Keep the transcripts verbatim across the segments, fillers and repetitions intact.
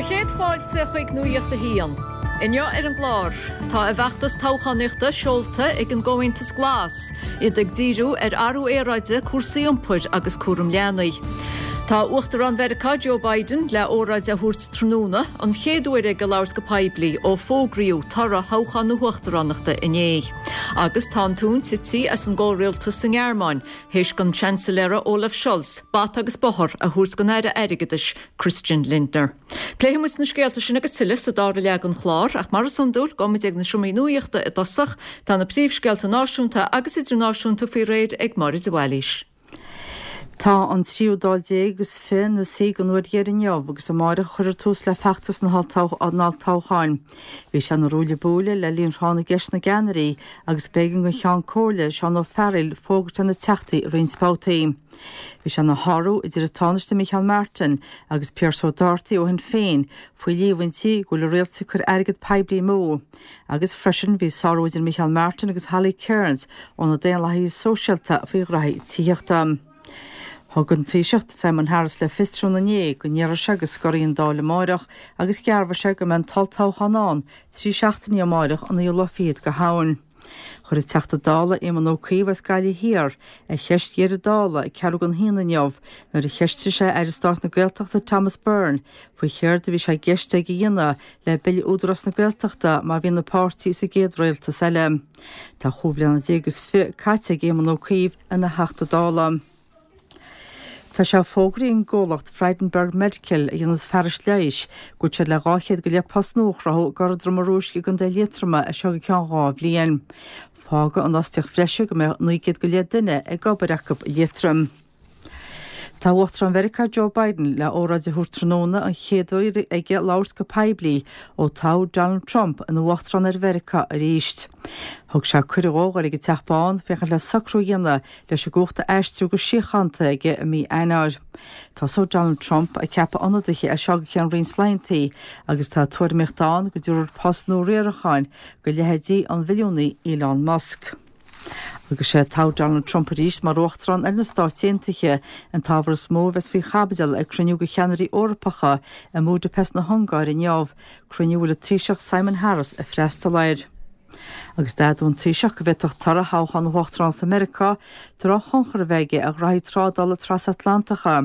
Do chéad fáilte chuig Nuacht a hAon. Inniu ar an gclár tá a bhfeachtas toghchánaíochta seolta ag an gComhaontas Glas, iad ag díriú ar athrú aeráide cúrsaí iompair agus cúram leanaí. Tá Uachtarán Mheiriceá Joe Biden le óráid a thabhairt tráthnóna an chéad uair aige labhairt go poiblí ó fógraíodh toradh thoghchán na huachtaránachta inné. Agus tá an tóin tite as an gcomhrialtas sa nGearmáin, théis don Seansailéir Olaf Scholz, bata agus bóthar a thabhairt don Aire Airgeadais Christian Lindner. Pléifimid na scéalta sin agus tuilleadh sa dara leath den chlár ach mar is iondúil gabhfaimid ag na seomraí nuachta i dtosach tá na príomhscéalta náisiúnta agus idirnáisiúnta faoi réir ag Máire de Bhailís. Tá an tríú Dáil déag agus fiche ina suí don uair dheiridh inniu agus amárach a chuirfear tús le feachtas na holltoghcháin. Bhí sé ina ruaille buaille le linn thráth na gceist na gceannairí agus b'éigean don Cheann Comhairle Seán Ó Fearghaíl fógairt ar na teachtaí i roinnt babhtaí. Bhí sé ina shárú idir an Tánaiste Micheál Martin agus Pearse O'Doherty ó Shinn Féin faoi líomhaintí go bhfuil an rialtas ag cur airgead poiblí amú. Agus freisin bhí sárú idir Micheál Martin agus Holly Cairns ó na Daonlathaithe Sóisialta faoi ghraithí tithíochta. Thug an Taoiseach Simon Harris le fios tráthnóna inné go ndéarfaidh sé go scoirfidh an Dáil amárach agus dhearbhaigh sé go mbeidh an t-olltoghchán ann trí seachtainí amárach an naoú lá fichead de Shamhain. Chuir an Teachta Dála Éamon Ó Cuív as Gaillimh Thiar a cheist dheiridh Dála ag ceathrú don haon inniu nuair a cheistigh sé Aire Stáit na Gaeltachta Thomas Byrne faoi chéard a bhí sé i gceist aige a dhéanamh le Bille Údarás na Gaeltachta má bhíonn an páirtí sa gcéad rialtas eile. Tá chúig bliana déag agus fiche caite ag Éamon Ó Cuív ina Theachta Dála. Tá sé fógraithe ag an gcomhlacht Frydenberg Medical a dhéanas fearais leighis go bhfuil siad le dhá chéad go leith post nua a chruthú i gCora Droma Rúisc i gContae Liatroma as seo go ceann dhá bhliain. Fágfaidh an fhostaíocht bhreise go mbeidh naoi gcéad go leith duine ag obair acu i Liatroim. Tá Uachtarán Mheiriceá Joe Biden le óráid a thabhairt tráthnóna an chéad uair aige labhairt go poiblí ó toghadh Donald Trump ina uachtarán ar Mheiriceá arís. Thug sé cuireadh dó dhul ag an Teach Bán féachaint le socrú a dhéanamh leis an gcumhacht a aistriú go síochánta aige i mí Eanáir. Tosóidh Donald Trump ag ceapadh ionadaithe as seo go ceann roinnt laethanta agus tá tuairimíocht ann go dtabharfar post nua riaracháin do leithéidí an bhilliúnaí Elon Musk. Agus sé toghadh Donald Trump arís mar uachtarán ar na Stáit Aontaithe an t-ábhar is mó a bheas faoi chaibidil ag cruinniú de cheannairí Eorpacha i mBudapest na hUngáire inniu, cruinniú a bhfuil an Taoiseach Simon Harris ag freastal air. Agus d'admhaigh an Taoiseach go bhféadfadh toradh thoghchán na huachtaránachta Meiriceá drochthionchar a bheith aige ar ghraithí trádála trasatlantacha,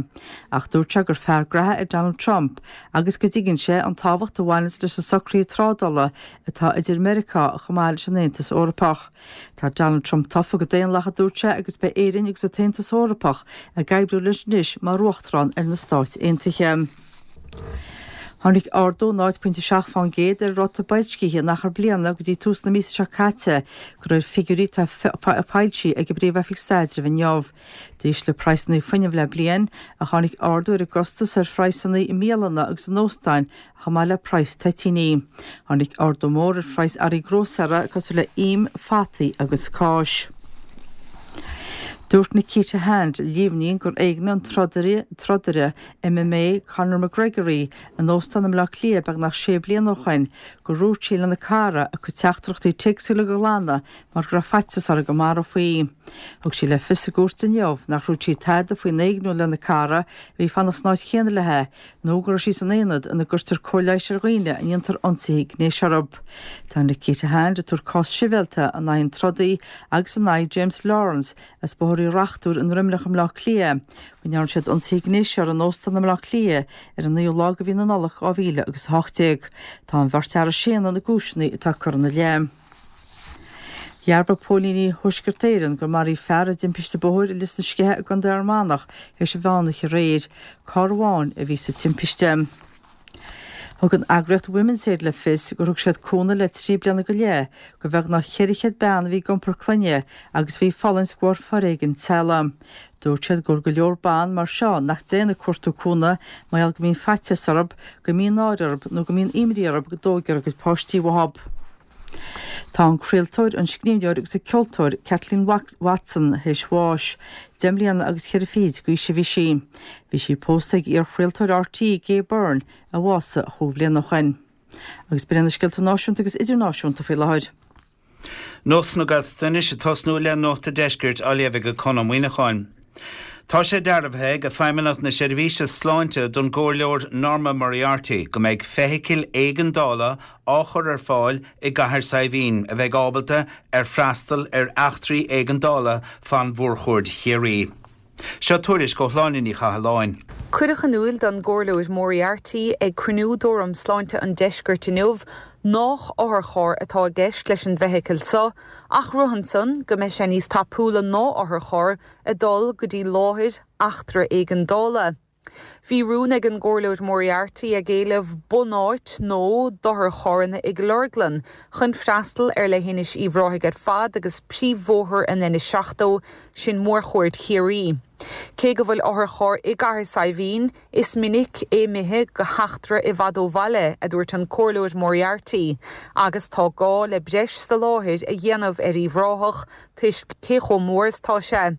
ach dúirt sé gur fear graithe é Donald Trump agus go dtuigeann sé an tábhacht a bhaineann leis na socruithe trádála atá idir Meiriceá chomh maith leis an Aontas Eorpach. Tá Donald Trump tofa go daonlathach a dúirt sé agus beidh Éirinn agus an tAontas Eorpach ag oibriú leis anois mar uachtarán ar na Stáit Aontaithe. Tháinig ardú náid pointe seacht faoin gcéad ar ráta boilscithe in achar bliana go dtí tús na míosa seo caite de réir figiúirí atá foilsithe ag an bPríomh-Oifig Staidrimh inniu. D'ísligh praghsanna fuinnimh le bliain ach tháinig ardú ar an gcostas ar phraghsanna i mbialanna agus in óstáin chomh maith le praghas toitíní. Tháinig ardú mór ar phraghas earraí grósaera cosúil le im, fataí agus cáis. Dúirt Nikita Hand, líomhnaíonn gur éignigh an trodaire trodaire MMA Conor McGregor í in óstán i mBleá Cliath beagnach sé bliana ó shin, gur dhúirt sí lena cara a cuid teachtaireachtaí téacs uilig a ghlanadh mar go raibh faitíos uirthi go marófaí í. Thug sí le fios i gcúirt inniu nach ndúirt sí tada faoin éigniú lena cara a bhí ag fanacht san áit chéanna léi nó go raibh sí san aonad ina gcuirtear cóir leighis ar dhaoine a ndéantar ionsaithe gnéis orthu. Tá Nikita Hand ag tabhairt cás sibhialta in aghaidh an trodaí agus in aghaidh James Lawrence as Bóthar Uí Reachtúir i nDroimneach i mBleá Cliath, go ndearna siad ionsaithe gnéis uirthi in óstán i mBleá Cliath ar an naoú lá de mhí na Nollag dhá mhíle agus a hocht déag. Tá an bheirt fhear ag séanadh na gcúiseanna atá curtha ina leith. Dhearbhaigh póilíní Thuaisceart Éireann gur maraíodh fear i dtimpiste bóthair i Lios na Sceiche i gContae Fhear Manach théis an mheánoíche aréir. Carr amháin a bhí sa timpiste. Thug an eagraíocht Women's Aid le fios gur thug siad cúnamh le trí bliana go leith do bheagnach ceithre chéad bean a bhí ag iompar clainne agus a bhí ag fulaingt de bharr foréigean teaghlaigh. Dúirt siad go bhfuil go leor ban mar seo nach dtéann ag cuartú cúnamh mar gheall go mbíonn faitíos orthu, go mbíonn náire orthu nó go mbíonn imní orthu go dtógfar a gcuid páistí uathu. Tá an craoltóir, an scríbhneoir agus an ceoltóir Kathleen Watson théis bháis. Deich mbliana agus ceithre fichid d'aois a bhí sí. Bhí sí pósta ag iar-chraoltóir RTÉ Gay Byrne a bhásaigh chúig bhliana ó shin. Agus b'in iad na scéalta náisiúnta agus idirnáisiúnta faoi láthair. Nuacht na Gaeltachta anois ag tosnú le Nuacht an Deiscirt á léamh ag Conn Ó Muíneacháin. Tá sé dearbhaithe ag Feidhmeannacht na Seirbhíse Sláinte don gComhairleoir Norma Moriarty go mbeidh feithicil éigeandála á chur ar fáil i gCathair Saidhbhín a bheidh ábalta ar freastal ar eachtraí éigeandála fan Mhórchuaird Chiarraí. Seo tuairisc ó Shláine Ní Chathalláin. Cuireadh in iúl don gComhairleoir Moriarty ag cruinniú d'Fhóram Sláinte an Deiscirt inniu nach otharcharr atá i gceist leis an bhfeithicil seo, ach rud ansan go mbeidh sé níos tapúla ná otharcharr ag dul go dtí láthair eachtra éigeandála. Bhí rún ag an gComhairleoir Moriarty ag éileamh bunáit nó d'otharcharranna i gCill Orglan chun freastal ar leithinis Uíbh Ráthaigh ar fad agus príomhbhóthar an N seachtó, sin Mórchuaird Chiarraí. Cé go bhfuil otharcharr i gCathair Saidhbhín, is minic é imithe go heachtra i bhfad ó bhaile, a dúirt an Comhairleoir Moriarty, agus tá gá le breis soláthair a dhéanamh ar Uíbh Ráthach toisc cé chomh mór is atá sé.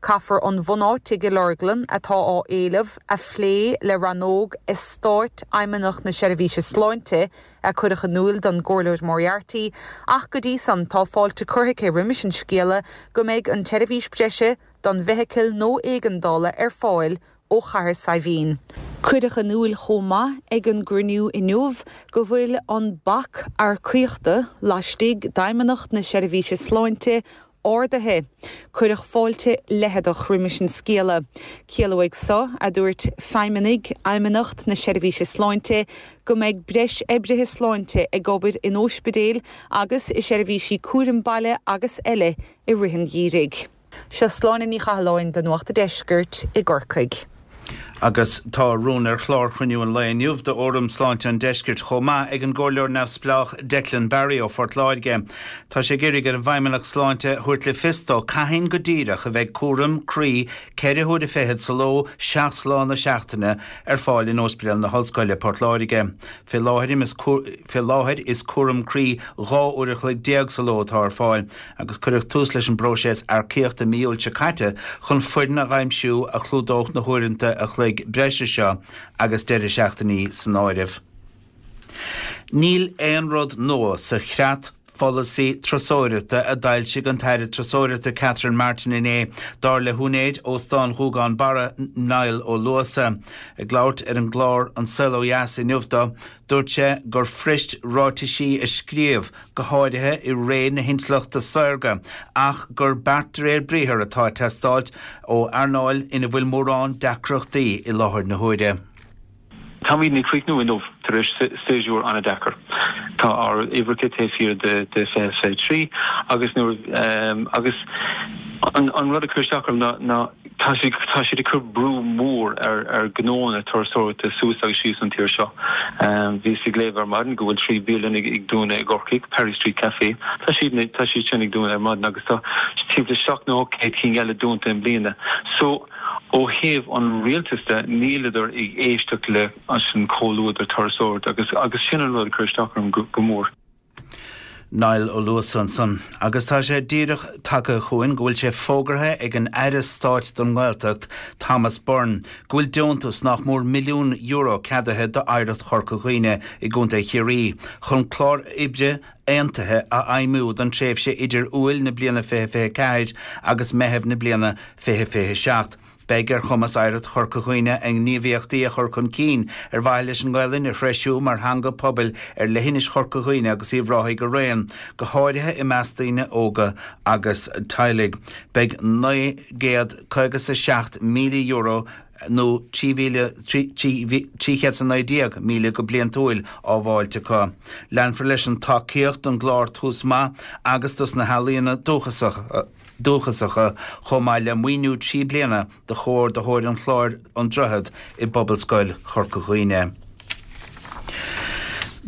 Caithfear an bhunáit i gCill Orglan atá á éileamh a phlé le rannóg eastáit Fheidhmeannacht na Seirbhíse Sláinte, a cuireadh in iúl don gComhairleoir Moriarty, ach go dtí san tá fáilte curtha aici roimis an scéala go mbeidh an tseirbhís breise don bhfeithicil nó éigeandála ar fáil ó Chathair Saidhbhín. Cuireadh in iúl chomh maith ag an gcruinniú inniu go bhfuil an bac earcaíochta laistigh d'Fheidhmeannacht na Seirbhíse Sláinte ardaithe. Cuireadh fáilte leitheadach roimis an scéala. Ciallóidh seo, a dúirt feidhmeannaigh Fheidhmeannacht na Seirbhíse Sláinte, go mbeidh breis oibrithe sláinte ag obair in ospidéil agus i seirbhísí cúraim baile agus eile i rith an gheimhridh. Seo Sláine Ní Chathalláin do Nuacht an Deiscirt i gCorcaigh. Agus tá rún ar chlár chruinniú an lae inniu d'Fhóram Sláinte an Deiscirt chomh maith ag an gComhairleoir neamhspleách Declan Barry ó Phort Láirge. Tá sé ag iarraidh ar an bhFeidhmeannacht Sláinte thabhairt le fios dó cathain go díreach a bheidh cúram croí ceithre huaire fichead sa ló, seacht lá na seachtaine, ar fáil in Ospidéal na hOllscoile, Port Láirge. Fé láthair is cúram croí dhá uair a chloig déag sa ló atá ar fáil agus cuireadh tús leis an bpróiseas earcaíochta mí Iúil seo caite chun foireann a aimsiú a chlúdódh na huaireanta a chloig breise seo agus deireadh seachtainí san áireamh. Níl aon rud nua sa chreat pholasaí turasóireachta a d'fhoilsigh an tAire Turasóireachta Catherine Martin inné, dar le húinéir Óstán Ghúgán Barra, Niall Ó Luasa. Ag labhairt ar an gclár An Saol Ó Dheas inniu dó, dúirt sé gur fuirist ráitisí a scríobh, go háirithe i ré na hintleachta saorga, ach gur beart de réir briathair atá ag teastáilt ó earnáil ina bhfuil mórán deacrachtaí i láthair na huaire. Táimid ag críochnú inniu tar éis séasúr an-deacair. Tá ár uimhreacha taobh thiar de fiche fiche trí agus nuair agus an rud a chuir isteach orm ná ná tá siad tá siad ag cur brú mór ar ar gnóanna turasóireachta suas agus síos an tír seo. Bhíos ag léamh ar maidin go bhfuil trí bialann ag ag dúnadh i gCorcaigh, Perry Street Café, tá siad tá siad sin ag dúnadh ar maidin agus tá timpeall seacht nó ocht gcéad cinn eile dúnta i mbliana. So Ó thaobh an rialtais de, níleadar ag éisteacht le an comhluadar turasóireachta agus agus sin an rud a chuir isteach orm go go mór. Niall Ó Luasa ansan. Agus tá sé díreach tagtha chugainn go bhfuil sé fógartha ag an Aire Stáit don nGaeltacht, Thomas Byrne, go bhfuil deontas nach mór milliún euro ceadaithe d'Oidhreacht Chorca Dhuibhne i gContae Chiarraí chun clár oibre aontaithe a fheidhmiú don tréimhse idir Iúil na bliana fiche fiche ceathair agus Meitheamh na bliana fiche fiche seacht. Beidh ar chumas Oidhreacht Chorca Dhuibhne a ngníomhaíochtaí a chur chun cinn ar mhaithe leis an nGaelainn a threisiú mar theanga pobail ar leithinis Chorca Dhuibhne agus Uíbh Ráthaigh araon, go háirithe i measc daoine óga agus teaghlaigh. Beidh naoi gcéad caoga 's a seacht míle euro nó trí mhíle trí chéad 's a naoi déag míle go bliantúil á bhfáilt acu. Leanfar leis an tacaíocht don gclár Tús Maith agus dos na healaíona dúchasacha chomh maith le maoiniú trí bliana do chomhordaitheoir an chláir An Droichead i bPobalscoil Chorca Dhuibhne.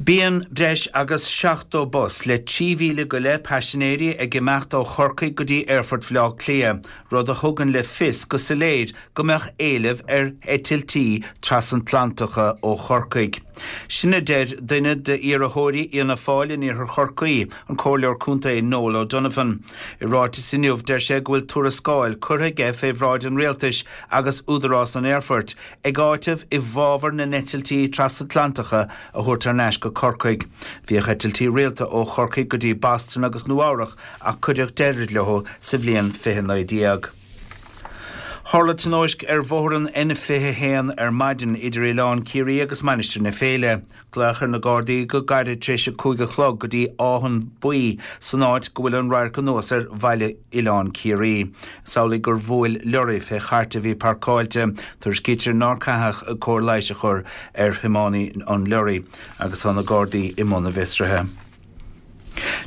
Bíonn breis agus seachtó bus le trí mhíle go leith paisinéirí ag imeacht ó Chorcaigh go dtí Aerfort Bhaile Átha Cliath, rud a thugann le fios go soiléir go mbeadh éileamh ar eitiltí trasatlantacha ó Chorcaigh. Sin a deir duine d'iarrthóirí Fhianna Fáil in Iarthar Chorcaí, an Comhairleoir Contae Noel O'Donovan. I ráiteas inniu deir sé go bhfuil tuarascáil curtha aige fé bhráid an Rialtais agus Údarás an Aerfoirt ag áiteamh i bhfabhar na n-eitiltí trasatlantacha a thabhairt thar n-ais go Corcaigh. Bhíodh eitiltí rialta ó Chorcaigh go dtí Boston agus Nua-Eabhrac ach cuireadh deireadh leo sa bhliain fiche naoi déag. Tharla tionóisc ar bhóthar an N fiche a haon ar maidin idir Oileán Ciarraí agus Mainistir na Féile. Glaodh ar na Gardaí go gairid tar éis a cúig a chlog go dtí Áth an Buí san áit go bhfuil an radharc anuas ar bhaile Oileán Ciarraí. Is amhlaidh gur bhuail lorry fé chairt a bhí páirceáilte. Tuairiscítear nár caitheadh cóir leighis a chur ar thiománaí an lorry agus tá na Gardaí i mbun a bhfiosraithe.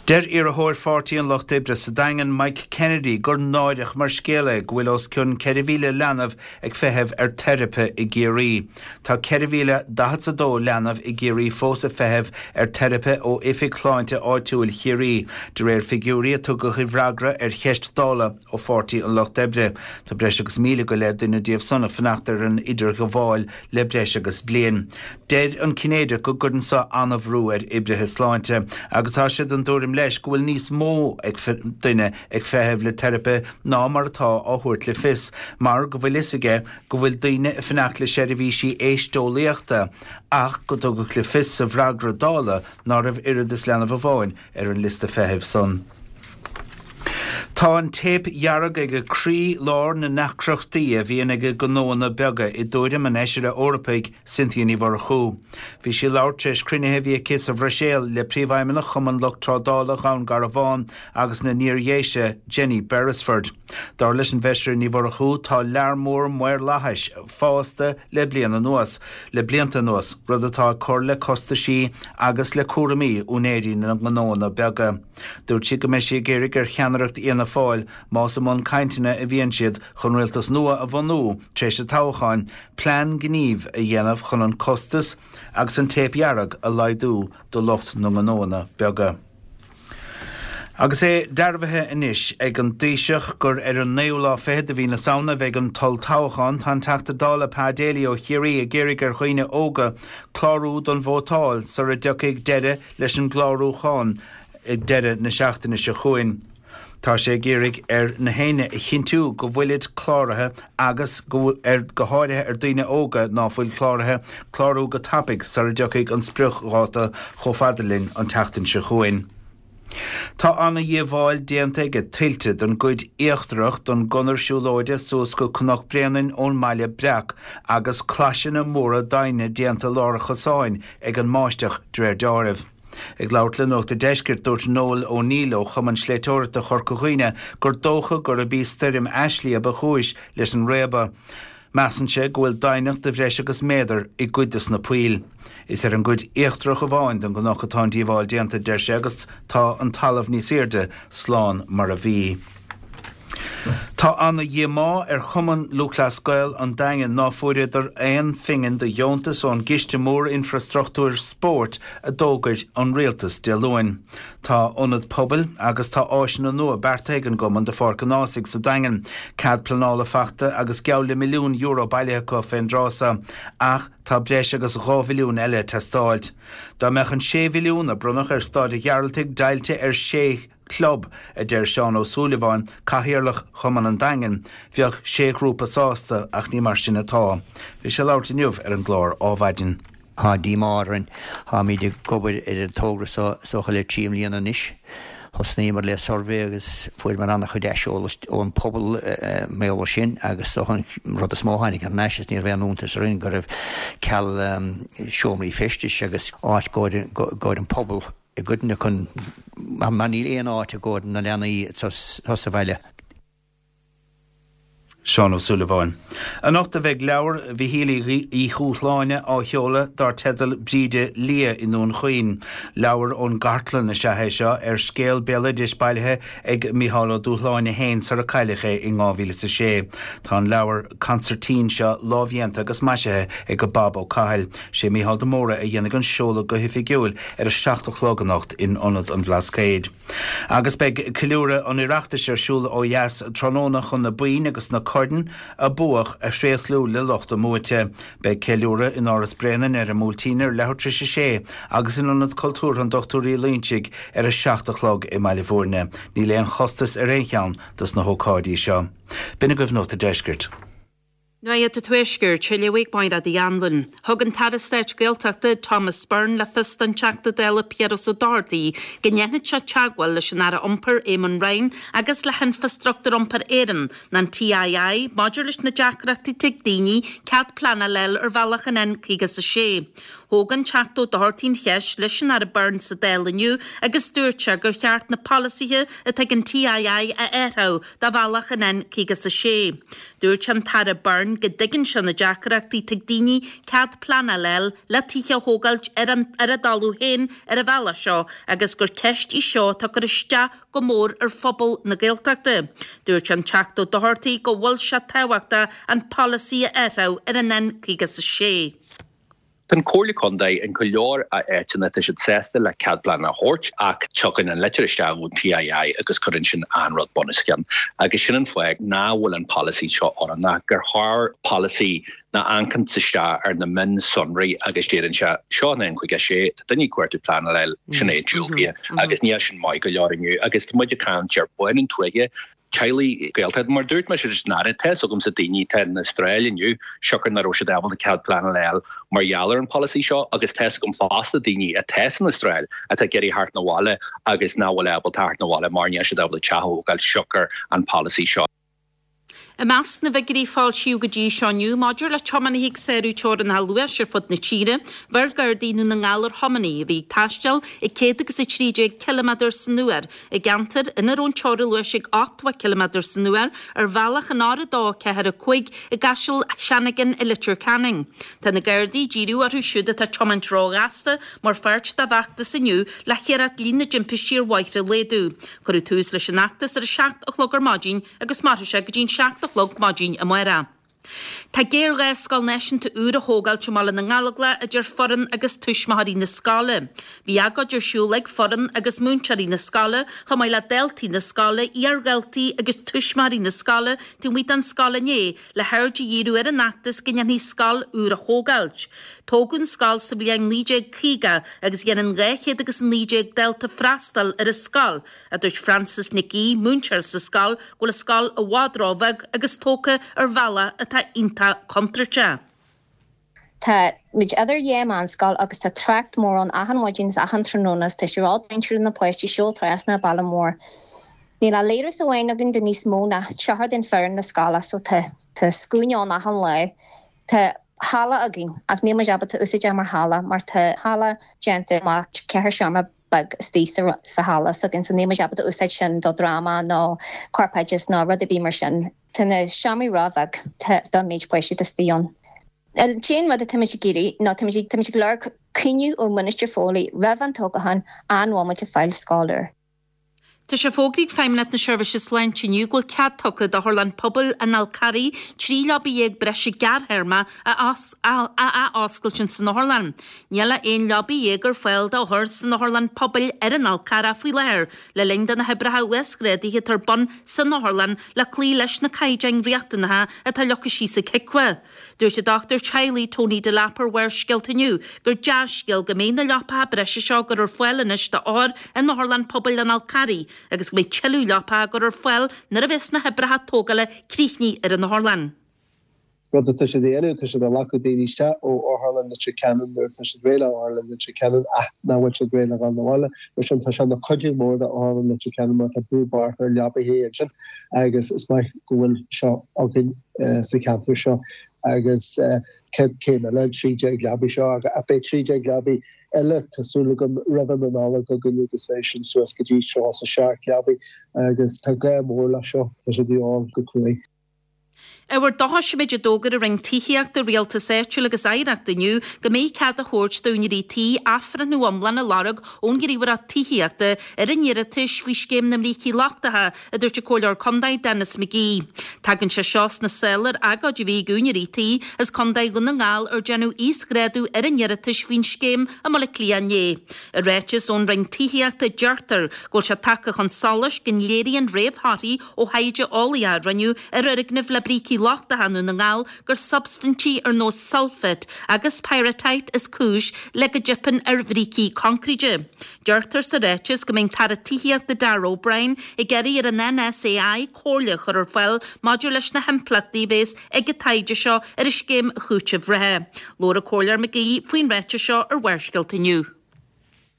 Deir iarrthóir Pháirtí an Lucht Oibre sa Daingean, Mike Kennedy, gur náireach mar scéal é go bhfuil os cionn ceithre mhíle leanbh ag feitheamh ar teiripe i gCiarraí. Tá ceithre mhíle daichead is a dó leanbh i gCiarraí fós ag feitheamh ar teiripe ó Oifig Shláinte Áitiúil Chiarraí, de réir figiúirí a tugadh i bhfreagra ar cheist Dála ó Pháirtí an Lucht Oibre. Tá breis agus míle go leith duine díobh san ag fanacht ar an idirghabháil le breis agus bliain. Deir an Cinnéideach go gcuireann seo an-bhrú ar oibrithe sláinte agus tá sé den tuairim leis go bhfuil níos mó duine ag feitheamh le teiripe ná mar atá á thabhairt le fios, mar go bhfuil fhios aige go bhfuil daoine ag fanacht le seirbhísí éisteolaíochta ach go dtugadh le fios sa bhfreagra Dála ná raibh oiread is leanbh amháin ar an liosta feithimh san. Tá an téip dhearg ag croí lár na ndeacrachtaí a bhíonn ag gnóanna beaga i dtuairim an Fheisire Eorpaigh Cynthia Ní Mhurchú. Bhí sí ag labhairt tar éis cruinnithe a bhí aici sa Bhruiséil le Príomhfheidhmeannach Chumann Lucht Trádála Dhún Garbhán agus na nIardhéise, Jenny Beresford. Dar leis an bhFeisire Ní Mhurchú, tá lear mór maorlathais fásta le bliain anuas, le blianta anuas, rud atá ag cur le costaisí agus le cúraimí úinéirí na ngnóanna beaga. Dúirt sí go mbeidh sí ag iarraidh ar cheannaireacht Fhianna Fáil, más i mbun cainteanna a bhíonn siad chun rialtas nua a bhunú tar éis an toghcháin, plean gnímh a dhéanamh chun an costas agus an téip dhearg a laghdú do lucht na ngnóanna beaga. Agus é dearbhaithe anois ag an dTaoiseach gur ar an naoú lá fichead de mhí na Samhna a bheidh an t-olltoghchán, tá an Teachta Dála Pa Daly ó Chiarraí ag iarraidh ar dhaoine óga clárú don vótáil sara dtiocfaidh deireadh leis an gclárúchán ag deireadh na seachtaine seo chugainn. Tá sé ag iarraidh ar na héinne a chinntiú go bhfuilid cláraithe agus go ar go háirithe ar daoine óga ná fuil cláraithe, clárú go tapaidh sara dtiocfaidh an spriocdháta chomh fada linn an tseachtain seo chugainn. Tá ana-dhíobháil déanta ag tuilte don gcuid íochtarach don gconair siúlóide suas go Cnoc Bréanainn ón mBaile Breac agus claiseanna móra doimhne déanta lár an chosáin ag an mbáisteach de réir deáraimh. Ag labhairt le Nuacht a' Deiscirt, dúirt Noel O'Neill ó Chumann Sléibhteoireachta Chorca Dhuibhne gur dócha gurb í stoirm Ashley a ba chúis leis an réabadh. Measann sé go bhfuil doimhneacht de bhreis agus méadar i gcuid de na poill. Is ar an gcuid íochtarach amháin den gcnoc atá an díobháil déanta, deir sé, agus tá an talamh níos airde slán mar a bhí. Tá ana-dhíomá ar Chumann Lúthchleas Gael an Daingin ná fuaireadar aon phingin de dheontas ón gCiste Mór Infreastruchtúir Spóirt a d'fhógair an Rialtas Dé Luain. Tá ionad pobail agus tá áiseanna nua beartaithe ag an gcumann do Pháirc an Ághasaigh sa Daingean, cead pleanála faighte agus geall le milliún euro bailithe acu fén dtráth so, ach tá breis agus dhá mhilliún eile ag teastáilt. Dá mbeadh an sé mhilliún a bronnadh ar Staid an Ghearaltaigh deighilte ar sé chlub, a deir Seán Ó Súilleabháin, Cathaoirleach Chumann an Daingin, bheadh sé ghrúpa sásta ach ní mar sin atá. Bhí sé ag labhairt inniu ar an gclár Ádhmhaidin. Tá díomá orainn. Táimid ag obair ar an togra seo is dócha le trí mbliana anois. Thosnaíomar le suirbhé agus fuaireamar an-chuid aiseolas ón pobal mar gheall air sin agus is dócha an rud is mó a tháinig thar n-ais is ní raibh aon iontas orainn go raibh ceal seomraí feistis agus áit i gcomhair an pobal i gcoitinne chun mar níl aon áit i gcomhair na leanaí atá sa bhaile. Seán Ó Súilleabháin. Anocht a bheidh leabhar Mhichíl Uí Dhúshláine á sheoladh dar teideal Bríde Liath i nDún Chaoin. Leabhar ón gcartlann is ea é seo ar scéal béaloidis bailithe ag Mícheál Ó Dúshláine féin sar a cailleadh é in dhá mhíle is a sé. Tá an leabhar consairtín seo lámhdhéanta agus maisithe ag Bob Ó Cathail. Sé Mícheál de Mórdha a dhéanfaidh an seoladh go hoifigiúil ar a seacht a chlog anocht in Ionad an Bhlascaoid. Agus beidh ceiliúradh an Oireachtais ar siúl ó dheas tráthnóna chun na boinn agus na coirn a buadh a thréaslú le lucht a mbuaite. Beidh ceiliúradh in Áras Bréanainn ar an mBuailtín ar leathuair tar éis a sé agus in Ionad Cultúrtha an Dochtúir Uí Loingsigh ar a seacht a chlog i mBaile Bhúirne. Níl aon chostas ar aon cheann dos na hócáidí seo. B'in agaibh Nuacht a' Deiscirt. Nuacht an Tuaiscirt, á léamh ag Máire Uí Anluain. Thug an tAire Stáit Gaeltachta Thomas Byrne le fios don Teachta Dála Piaras Ó Dochartaigh go ndéanfaidh sé teagmháil leis an Aire Iompair Eamon Ryan agus le hInfrastruchtúr Iompair Éireann, nó an TII, maidir leis na deacrachtaí atá ag daoine cead pleanála a fháil ar bhealach an N caoga is a sé. Thóg an Teachta Ó Dochartaigh an cheist leis an Aire Byrne sa Dáil inniu agus dúirt sé gur cheart na polasaithe atá ag an TII a athrú do bhealach an N caoga is a sé. Dúirt an tAire Byrne go dtuigeann sé na deacrachtaí atá ag daoine cead pleanála a fháil le tithe a thógáilt ar an ar a dtalamh féin ar an bhealach seo agus gur ceist í seo atá ag cur isteach go mór ar phobal na Gaeltachta. Dúirt an Teachta Ó Dochartaigh go bhfuil sé tábhachtach an polasaí a athrú ar an N caoga is a sé. Tá an Comhairle Contae in go leor áiteanna tá siad sásta le cead pleanála a thabhairt ach tiocfaidh an litir isteach ón TII agus cuireann sin an rud bunoscionn. Agus sin an fáth nach bhfuil an polasaí seo oiriúnach gur chóir polasaí ná amharcann isteach ar na mionsonraí agus deireann sé seo an N caoga sé tá daoine ag cuartú pleanála sin é diúltaithe agus níl sin maith go leor inniu agus tá muid ag caint ar bhain an tuaithe teaghlaigh Gaeltachta mar dúirt mé leis an Aire tá a fhios agamsa daoine atá in Astráil inniu siocair nach raibh siad ábalta cead pleanála a fháil mar gheall ar an polasaí seo agus tá a fhios agam fosta daoine atá san Astráil atá ag iarraidh theacht 'na bhaile agus nach bhfuil ábalta theacht 'na bhaile mar níl siad ábalta teach a thógáil siocair an polasaí seo. I measc na bhfigiúirí a foilsíodh go dtí seo inniu maidir le tiománaithe ag sárú teorainneacha luais ar fud na tíre, bheir Gardaí Dhún na nGall ar thiománaí a bhí ag taisteal ag céad agus a trí déag ciliméadar san uair i gceantar ina raibh an teorainn luais ag ochtó ciliméadar san uair ar bhealach an R a dó ceathair a cúig i gCaiseal Seanagain i Leitir Ceanainn. Tá na Gardaí ag díriú orthu siúd atá ag tiomáint róghasta mar pháirt dá bhfeachtas inniu le hiarracht líon na dtimpistí ar bhóithre a laghdú. Cuireadh tús leis an fheachtas ar a seacht a chlog ar maidin agus mairfidh sé go dtí'n seacht a chlog maidin amárach. Tá géarghá scoil náisiúnta úr a thógáilt i mBaile na nGallóglach a deir foireann agus tuismitheoirí na scoile. Bhí agóid ar siúl ag foireann agus múinteoirí na scoile, chomh maith le daltaí na scoile, iardhaltaí agus tuismitheoirí na scoile taobh amuigh den scoil inné le haird a dhíriú ar an fheachtas go ndéanfaí scoil úr a thógáilt. Tógadh an scoil sa bhliain naoi déag caoga agus dhéanann dhá chéad agus a naoi déag dalta freastal ar an scoil, a dúirt Frances Nic Aoidh, múinteoir sa scoil, go bhfuil an scoil i bhfad róbheag agus tógtha ar bhealach atá iontach contúirteach. Tá muid idir dhá mheánscoil agus tá trácht mór ann achan mhaidin is achan tráthnóna is tá sé ró-dainséarach do na páistí siúl trasna an baile mór. Níl ach leithreas amháin againn do níos mó ná triúr den foireann na scoile so tá tá scuaine ann achan lá. Tá halla againn ach níl muid ábalta úsáid é mar halla mar tá halla déanta amach ceithre seomra beag istigh sa sa halla s'againn so níl muid ábalta úsáid sin do dráma nó corpoideachas nó rud ar bith mar sin. Tá na seomraí róbheag don méid páistí atá istigh ann. An t-aon rud atá muid ag iarraidh ná tá muid tá muid ag lorg cúnamh ó Minister Foley roimh an toghchán an bhfuil muid ag fáil scoil úr. Tá sé fógraithe ag Feidhmeannacht na Seirbhíse Sláinte inniu go bhfuil cead tugtha d'Otharlann Pobail an Fhál Carraigh trí leaba dhéag breise gearrthéarma a athoscailt in san otharlann. Níl ach aon leaba dhéag ar fáil d'othair san Otharlann Pobail ar an Fhál Carrach faoi láthair, le linn do na hoibreacha uasghrádaithe atá ar bun san otharlann le cloí leis na caighdeáin riachtanacha atá leagtha síos ag HIQA. Dúirt an dochtúir teaghlaigh Tony Delap ar Bharrscéalta inniu gur dea-scéal go mbeidh na leapacha breise seo á gcur ar fáil anois d'othair in Otharlann Pobail an Fhál Carraigh agus go mbeidh tuilleadh leapacha á gcur ar fáil nuair a bheas na hoibreacha tógála críochnaithe ar an otharlann. Rud atá siad a dhéanamh, tá siad ag glacadh daoine isteach ó Otharlann Leitir Ceanainn nuair atá siad réidh le Otharlann Leitir Ceanainn ach nach bhfuil siad réidh le dhul 'na bhaile. Mar sin tá sé ina chuidiú mór do Otharlann Leitir Ceanainn mar tá brú bocht ar leapaithe ansin agus is maith go bhfuil seo againn sa cheantar seo agus céad céim eile, an trí déag leabaidh seo ach beidh trí déag leabaidh eile tá súil agam roimh an Nollaig againn agus beidh sin suas go dtí tríocha a seacht leabaidh agus tá gá mór leis seo, tá sé de dhíobháil go cruaidh. Ábhar dóchais an méid a d'fhógair an Roinn Tithíochta, Rialtais Áitiúil agus Oidhreachta inniu go mbeidh cead á thabhairt d'úinéirí tí athbhreithniú iomlán a lorg ón nGníomhaireacht Tithíochta ar a n-iarratais faoi Scéim na mBrící Lochtacha, a dúirt an Comhairleoir Contae Denis McGee. Tagann sé seo sna sála ar agóid a bhí ag úinéirí tí as Contae Dhún na nGall ar déanadh íosghrádú ar a n-iarratais faoin scéim i mBaile Átha Cliath inné. I ráiteas ón Roinn Tithíochta deirtear go bhfuil sé tagtha chun solais go léiríonn réamhthorthaí ó thaighde eolaíoch a rinneadh ar fhoirgnimh le brící brící lochtacha i nDún na nGall gur substaintí ar nós sulfate agus pyrrhotite is cúis le go dteipeann ar bhrící coincréide. Deirtear sa ráiteas go mbeidh an tAire Tithíochta Darragh O'Brien ag iarraidh ar an NSAI comhairle a chur ar fáil maidir leis na himpleachtaí a bheas ag an taighde seo ar an scéim chúitimh reatha. Labhair an Comhairleoir McGee faoin ráiteas seo ar Bharrscéalta inniu.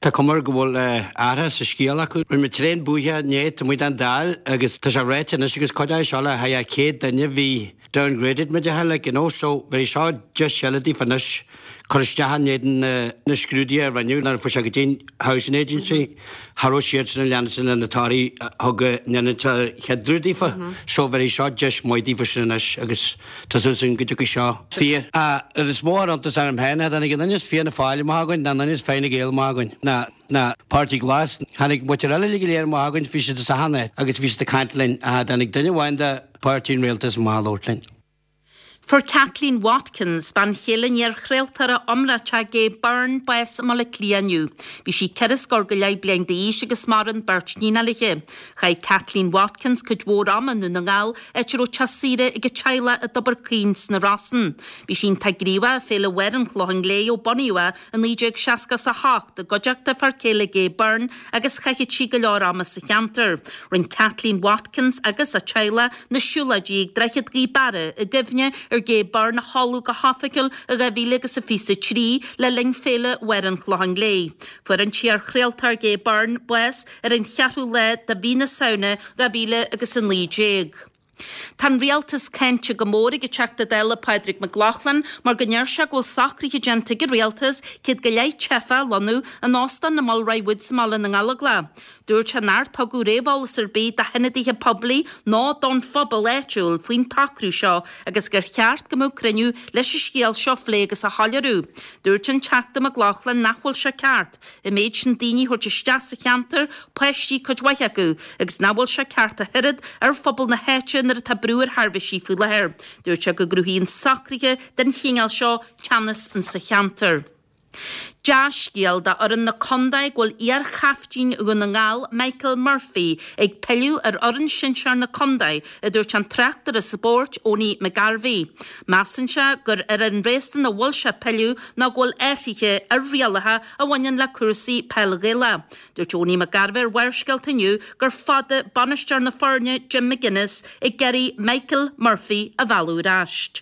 Tá cuma air go bhfuil athrú sa scéal acu. Rinne muid tréan buaithe inné taobh amuigh den Dáil agus tá sé ráite anois agus cuid de seo le haghaidh céad duine bhí downgraded muid a like you know so bhí seo deis eile daofa anois cur isteach in éadan na scrúduithe a rinneadh nuair a fuair sé go dtí an Housing Agency cha raibh siadsan ag leanacht le na torthaí a thug an chéad rud daofa so bhí seo deis maith daofa sin anois agus tá súil againn go dtiocfaidh seo fíor. An rud is mó a chuir iontas orm féin, tháinig an duine as Fianna Fáil amach againn, ná an duine as Fine Gael amach againn, ná ná Páirtí Glas. Tháinig muintir eile uilig go léir amach againn, bhí siad as achan áit agus bhí siad ag caint linn, ach tháinig duine amháin de Páirtí an Rialtais amach ag labhairt linn. Fuair Kathleen Watkins, bean chéile an iar-chraoltóra iomráitigh Gay Byrne, bás i mBaile Átha Cliath inniu. Bhí sí ceithre scór go leith bliain d'aois agus maireann beirt níonacha léi. Chaith Kathleen Watkins cuid mhór ama i nDún na nGall, áit a raibh teach saoire ag a teaghlach i dTobar Caoin sna Rosann. Bhí sí iontach gníomhach i Féile Mháire an Chlocháin Léith ó bunaíodh í i naoi déag seasca is a hocht i gcuideachta a fear céile Gay Byrne agus chaitheadh sí go leor ama sa cheantar. Rinne Kathleen Watkins agus a teaghlach na siúlóidí ag Droichead Ghaoth Beara i gcuimhne ar Gay Byrne a chailleadh go hoifigiúil i dhá mhíle agus a fiche a trí le linn Féile Mháire an Chlocháin Léith. Fuair an t-iar-chraoltóir Gay Byrne bás ar an cheathrú lá de mhí na Samhna dhá mhíle agus a naoi déag. Tá an rialtas cáinte go mór ag an Teachta Dála Pádraig Mac Lochlainn mar go ndeir sé go bhfuil socruithe déanta ag an rialtas céad go leith teifeach a lonnú in óstán na Mulroy Woods i mBaile na nGallóglach. Dúirt sé nár tugadh réamheolas ar bith do hionadaithe poiblí ná don phobal áitiúil faoin tsocrú seo agus gur cheart go mbeadh cruinniú leis an scéal seo a phlé agus a shoiléiriú. Dúirt an Teachta Mac Lochlainn nach bhfuil sé ceart an méid sin daoine a thabhairt isteach sa cheantar, páistí cuid mhaith acu, agus nach bhfuil sé ceart ach oiread ar phobal na háite nuair atá brú ar sheirbhísí faoi láthair. Dúirt sé go gcruthaíonn socruithe den chineál seo teannas insa cheantar. Dea-scéal do fhoireann na contae go bhfuil iar-chaiftín Dhún na nGall, Michael Murphy, ag pilleadh ar fhoireann sinsear na contae, a dúirt an tráchtaire spóirt Owenie McGarvey. Measann sé gur ar an réasún a bhfuil sé ag pilleadh ná go bhfuil athruithe ar rialacha a bhaineann le cúrsaí peil Ghaelach. Dúirt Owenie McGarvey ar Bharrscéalta inniu gur fada bainisteoir na foirne Jim McGuinness ag iarraidh Michael Murphy a mhealladh ar ais.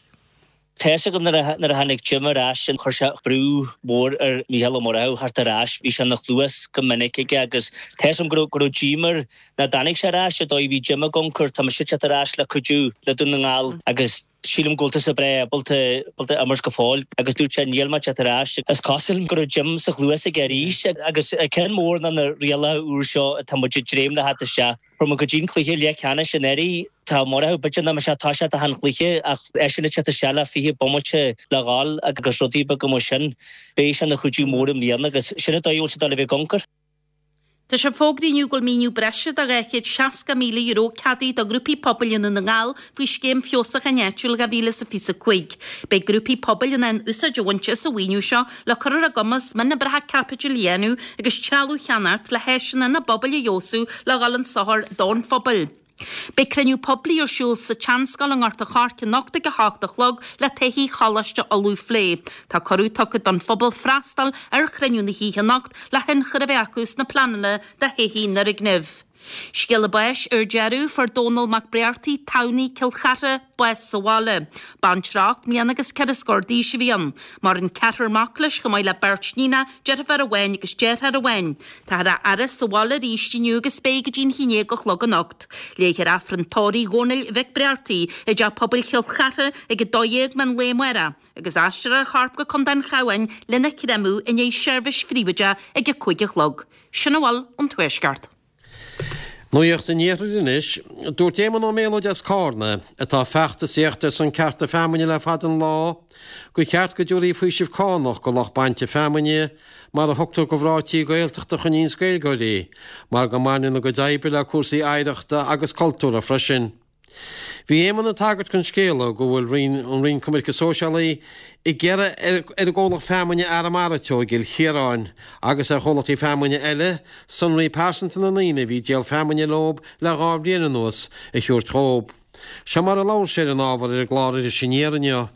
Tá fhios agam nuair a tháinig Jim ar ais chuir sé brú mór ar Mhícheál Ó Murchú theacht ar ais, bhí sé ina chluas go minic aige agus tá fhios agam go raibh go raibh díoma air nach dtáinig sé ar ais an dóigh a bhí Jim ag amharc air, tá mise ag teacht ar ais le cuidiú le Dún na nGall agus sílim go bhfuil tusa breá ábalta ábalta imirt go fóill agus dúirt sé níl mé ag teacht ar ais. Is cosúil go raibh Jim sa chluas aige arís agus ceann mór ná na rialacha úr seo atá muid ag dréim le theacht isteach. Fuair muid go dtí an cluiche leathcheannais anuraidh. Tá Murchú b'fhéidir nach mbeadh sé ag toiseacht achan chluiche ach eisean ag teacht isteach le fiche bomaite le dhul agus rudaí beaga mar sin. Beidh sé ina chuidiú mór i mbliana agus sin an dóigh a bhfuil sé ag dul a bheith ag amharc air. Tá sé fógraithe inniu go bhfuil maoiniú breise de dhá chéad seasca míle euro ceadaithe do ghrúpaí pobail i nDún na nGall faoi Scéim Feabhsúcháin Áitiúil dhá mhíle is fiche a cúig. Beidh grúpaí pobail in ann úsáid a bhaint as an mhaoiniú seo le cur ar a gcumas mionoibreacha caipitil a dhéanamh agus trealamh a cheannacht le háiseanna ina bpobail a fheabhsú le dhul chun sochair don phobal. Beidh cruinniú poiblí ar siúl sa tSeanscoil i nGort an Choirce anocht ag a hocht a chlog le todhchaí Choláiste Uladh a phlé. Tá cuireadh tugtha don phobal freastal ar chruinniú na hoíche anocht le hionchur a bheith acu sna pleananna do thodhchaí an fhoirgnimh. Scéala báis ar deireadh, fuair Dónal Mac Briartaigh, Tamhnaigh, Cill Chartha, bás sa bhaile. Baintreach ocht mbliana agus ceithre scór d'aois a bhí ann. Maireann ceathrar mac leis chomh maith le beirt níonach, deirfiúr amháin agus deartháir amháin. Táthar á fhaire sa bhaile arís inniu agus beidh go dtí an haon déag a chlog anocht. Léifear Aifreann tórraimh Dhónaill Mhic Briartaigh i dTeach Pobail Chill Chartha ag a dó dhéag meán lae amárach agus aistreofar a chorp go Contae an Chabháin lena chreamadh i ndiaidh seirbhís phríobháideach ag a cúig a chlog. Sin a bhfuil ón Tuaisceart. Nuacht an Iarthair anois. Dúirt Éamonn Ó Méalóid as Cárna, atá ag feachtasaíocht ar son cearta feamainne le fada an lá, gur cheart go dtabharfaí faoiseamh cánach go lucht bainte feamainne, mar a thugtar go mhná tí Gaeltachta a choinníonns Gaeilgeoirí, mar go mbaineann a gcuid oibre le cúrsaí oidhreachta agus cultúrtha freisin. Bhí Éamonn ag tagairt don scéala go bhfuil Roinn an Roinn Coimirce Sóisialaí ag iarraidh ar ar an gcomhlacht feamainne Arramara Teo i gCill Chiaráin agus ar chomhlachtaí feamainne eile sonraí pearsanta na ndaoine a bhí ag díol feamainne leob le dhá bhliain anuas a thabhairt dhóib. Seo mar a labhair sé ar an ábhar ar an gclár Iris Aniar inniu.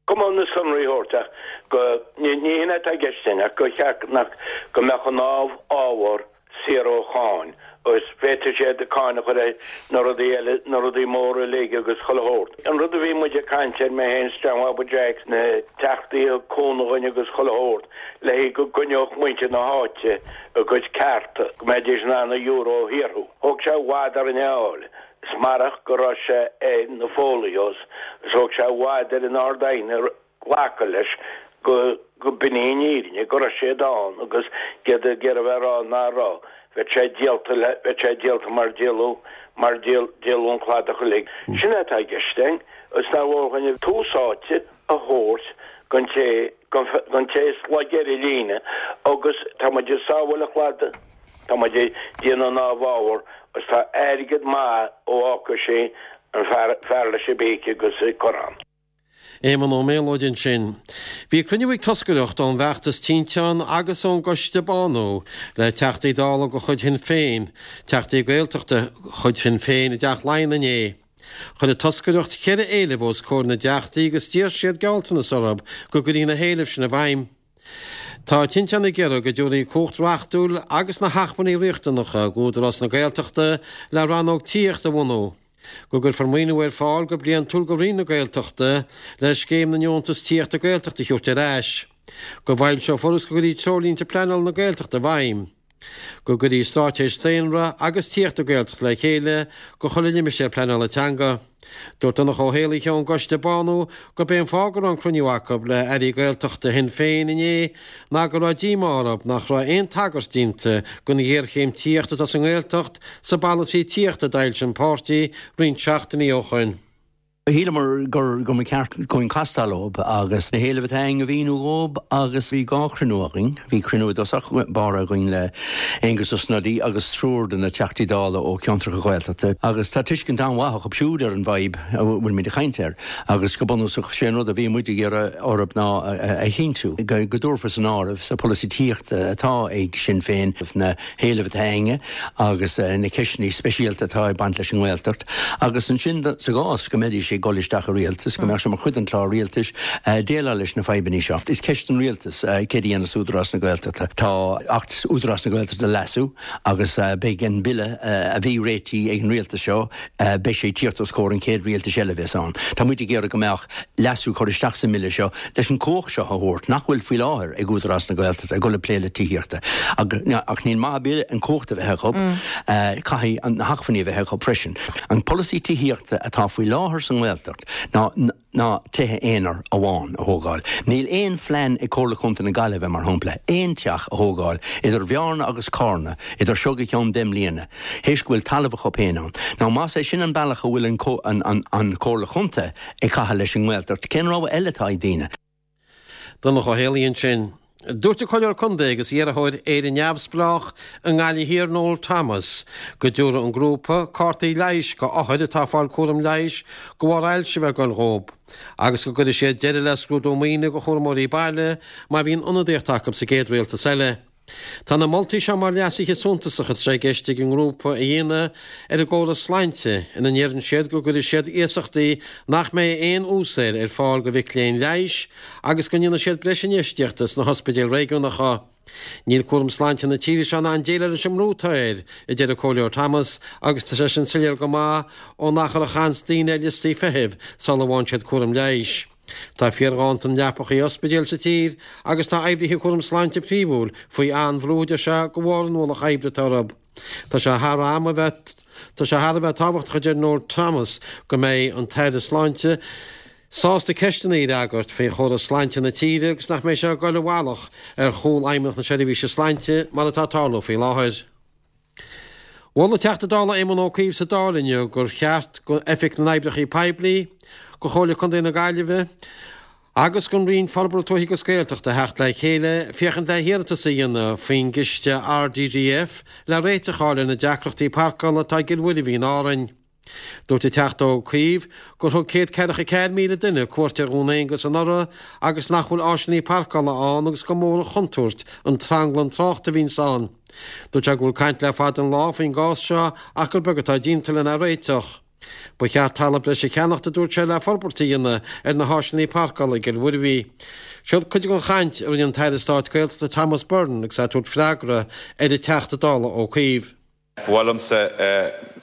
Cuma na sonraí a thabhairt ach go, ní hin atá i gceist againn ach go cheart nach, go mbeadh an ábhar saor ó cháin agus féadfaidh siad cáin a chur ar na rudaí eile, na rudaí móra uilig agus chuile shórt. An rud a bhí muid ag caint air, mé féin is John Bhabaí Jeaic, na teachtaí a thug cúnamh dhuinn agus chuile shórt, le haghaidh go gcoinneodh muintir na háite a gcuid cearta, go mbeidís in ann an euro a shaothrú. Thóg sé i bhfad orainn é a fháil. Is marach go raibh sé ar na folios, is thóg sé i bhfad ar an Ard-Aighne glacadh leis go go b'in í an fhírinne, go raibh siad ann agus iad ag iarraidh a bheith ag rá ná raibh. Bheadh sé díolta le, bheadh sé díolta mar díoladh, mar díol, díoladh an cladach uilig. Sin é atá i gceist againn, is nár mhór dhuinn tús áite a thabhairt don té, don té is laige ar an líne agus tá muid ag sábháil an chladaigh, tá muid ag déanamh an amhábhar agus tá airgead maith ó fhágfaidh sé an fear, fear leis an bpíce agus an corrán. Éamonn Ó Méalóid ansin. Bhí cruinniú ag toscaireacht ón bhfeachtas Tinteán agus ón gCoiste Bánú le Teachtaí Dála de chuid Shinn Féin, Teachtaí Gaeltachta de chuid Shinn Féin i dTeach Laighean inné. Chuir an toscaireacht ceithre éileamh os comhair na dTeachtaí agus d'iarr siad gealltanas orthu go gcuirfí na héilimh sin i bhfeidhm. Tá Tinteán ag iarraidh go dtabharfaí cumhacht reachtúil agus na hacmhainní riachtanacha d'Údarás na Gaeltachta le rannóg tithíochta a bhunú. Go gcuirfear maoiniú ar fáil go bliantúil go Roinn na Gaeltachta le Scéim na nDeontas Tithíochta Gaeltachta a thabhairt ar ais. Go bhfoilseofar agus go gcuirfí Treoirlínte Pleanála na Gaeltachta i bhfeidhm. Go gcuirfí Straitéis Daonra agus Tithíochta Gaeltachta le chéile go chuile limistéar pleanála teanga. Dúirt Donncha Ó hÉalaithe ón gCoiste Bánú gurb é an fáth go raibh an cruinniú acu le hairí Gaeltachta Shinn Féin inné ná go raibh díomá orthu nach raibh aon tagairt déanta don ghéarchéim tithíochta atá sa nGaeltacht sa bpolasaí tithíochta a d'fhoilsigh an páirtí roinnt seachtainí ó shoin. Shíleamar gur mba cheart dúinn castáil leo agus na héilimh atá againn a mhíniú dhóibh agus bhí dhá chruinniú againn. Bhí cruinniú i dtosach báire againn le Aengus Ó Snodaigh agus triúr de na Teachtaí Dála ó cheantracha Ghaeltachta agus tá tuiscint an-mhaith acu siúd ar an bhfadhb a bhfuilimid ag caint air agus go bunúsach sé an rud a bhí muid ag iarraidh orthu ná a chinntiú go dtabharfar san áireamh sa pholasaí tithíochta atá ag Sinn Féin na héilimh atá againne agus na ceisteanna speisialta atá ag baint leis an nGaeltacht agus ansin sa gcás go mbeidís ag dul isteach i rialtas, go mbeadh sé mar chuid den chlár rialtais déileáil leis na fadhbanna seo. Is ceist don rialtas céard a dhéanfas Údarás na Gaeltachta. Tá Acht Údarás na Gaeltachta le leasú agus beidh an bille a bhí réitithe ag an rialtas seo, beidh sé ag tíocht os comhair an chéad rialtais eile a bheas ann. Tá muid ag iarraidh go mbeadh leasú curtha isteach sa mbille seo leis an chumhacht seo a thabhairt, nach bhfuil faoi láthair ag Údarás na Gaeltachta, ag dul ag plé le tithíochta. Ach níl maith ar bith an chumhacht a bheith acu, caithfidh na hacmhainní a bheith acu freisin. An polasaí tithíochta atá faoi láthair sa nGaeltacht ná ná tithe aonair amháin a thógáil. Níl aon phlean ag Comhairle Chontae na Gaillimhe, mar shampla, aon teach a thógáil idir Bhearna agus Carna idir seo go ceann deich mbliana, théis go bhfuil talamh acu féin ann. Now más é sin an bealach a bhfuil an an an Chomhairle Chontae ag caitheamh leis an nGaeltacht, cén rogha eile atá ag daoine? Donncha Ó Héalaí ansin. Dúirt an Comhairleoir Contae agus iarrthóir Éire Neamhspleách i nGaillimh Thiar Noel Thomas go dtabharfaidh an grúpa cártaí leighis go othair atá ag fáil cúram leighis de bharr ailse a bheith ag goil dhóibh agus go gcuirfidh siad deireadh le scrúdú maoine go chúramóirí baile má bhíonn ionadaíocht acu sa gcéad rialtas eile. Tá na moltaí seo mar leasuithe suntasacha atá sé i gceist ag an ngrúpa a dhéanamh ar an gcóras sláinte ina ndeireann siad go gcuirfidh siad iasachtaí nach mbeidh aon ús air ar fáil do mhic léinn leighis agus go ndéanfaidh siad breis infheistíochta sna hospidéil réigiúnacha. Níl cúram sláinte na tíre seo in ann déileáil leis an mbrú atá air, a deir an Comhairleoir Thomas, agus tá sé sin soiléir go maith ón achar a chaitheanns daoine ar liostaí feithimh sula bhfaigheann siad cúram leighis. Tá fíorghanntan leapacha ospidéil sa tír agus tá oibrithe cúram sláinte príomhúil faoi an-bhrú, a deir sé, de bharr an ualach oibre atá orthu. Tá sé thar am a bheith Tá sé thar a bheith tábhachtach, a deir Noel Thomas, go mbeidh an tAire Sláinte sásta ceisteanna a fhreagairt faoi chóras sláinte na tíre agus nach mbeidh sé ag dul i bhfalach ar chúl Fheidhmeannacht na Seirbhíse Sláinte mar atá ag tarlú faoi láthair. Mhol an Teachta Dála Éamon Ó Cuív sa Dáil inniu gur cheart go Oifig na nOibreacha Poiblí, go Chomhairle Contae na Gaillimhe agus don Roinn Forbartha Tuaithe agus Gaeltachta theacht le chéile féachaint le hiarratas a dhéanamh faoin gciste RDDF le réiteach a fháil ar na deacrachtaí parcála atá i gCill Mhuirbhigh in Árainn. Dúirt an Teachta Ó Cuív gur thug céad ceathracha ceathair míle duine cuairt ar Dhún Aonghasa anuraidh agus nach bhfuil áiseanna parcála ann agus gur mór an chontúirt an tranglam tráchta a bhíonns ann. Dúirt sé go bhfuil caint le fada an lá faoin gcás seo ach gur beag atá déanta lena réiteach. Ba cheart talamh breise a cheannacht, a dúirt sé, le forbairt a dhéanamh ar na háiseanna páirceála i gCill Mhuirbhigh. Seo cuid den chaint a rinne an tAire Stáit Gaeltachta Thomas Byrne agus é ag tabhairt freagra ar an Teachta Dála Ó Cuív. Ba mhaith liomsa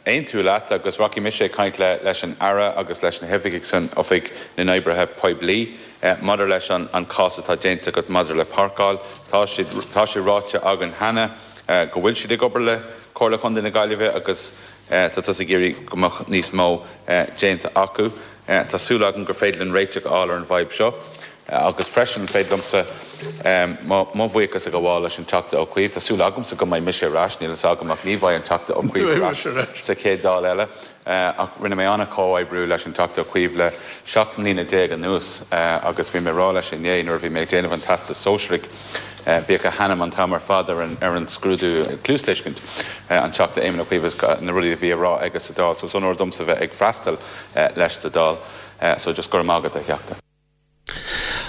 aontú leat agus rachaidh mise ag caint leis an Aire agus leis na hoifigigh san Oifig na nOibrithe Poiblí maidir leis an cás atá déanta agat maidir le páirceáil. Tá tá sé ráite againn cheana go bhfuil siad ag obair le Comhairle Chontae na Gaillimhe agus tá tusa ag iarraidh go mbeadh níos mó déanta acu. Tá súil agam gur féidir linn réiteach a fháil ar an bhfadhb seo. Agus freisin, féidir liomsa mo bhuíochas a ghabháil leis an Teachta Ó Cuív. Tá súil agamsa go mbeidh mise ar ais, níl a fhios agam ach ní bheidh an Teachta Ó Cuív ar ais sa chéad Dáil eile. Ach rinne mé an-chomhoibriú leis an Teachta Ó Cuív le seacht mbliana déag anuas agus bhí mé ag rá leis inné nuair a bhí mé ag déanamh an Teastas Sóisearaigh, bhíodh a hainm an t-am ar fad ar an scrúdú cluastuiscint, an Teachta Éamon Ó Cuív agus na rudaí a bhí á rá aige sa Dáil. So is onóir domsa bheith ag freastal leis sa Dáil. So just go raibh maith agat, a Theachta.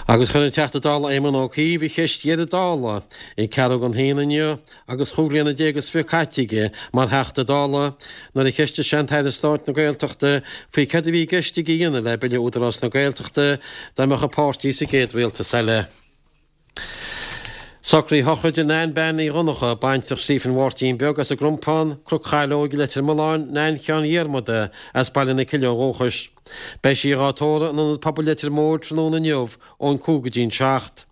Agus chuir an Teachta Dála Éamon Ó Cuív a cheist dheiridh Dála ag ceathrú don haon inniu agus chúig bliana déag is fiche caite aige mar Theachta Dála nuair a cheistigh sé an tAire Stáit na Gaeltachta faoi céard a bhí i gceist aige a dhéanamh le Bille Údarás na Gaeltachta dá mbeadh a pháirtí sa gcéad rialtas eile. Socruithe sochraide Nan Bean Ní Dhonncha, baintreach Stephen Mháirtín Beag as an gCrompán, Cnoc Chaileoig, Leitir Mealláin, Nain Sheáin Dhiarmada as Baile na Cille ó dhúchas. Beidh sí dhá tórramh in Ionad Pobail Leitir Móir tráthnóna inniu ón cúig go dtí an seacht.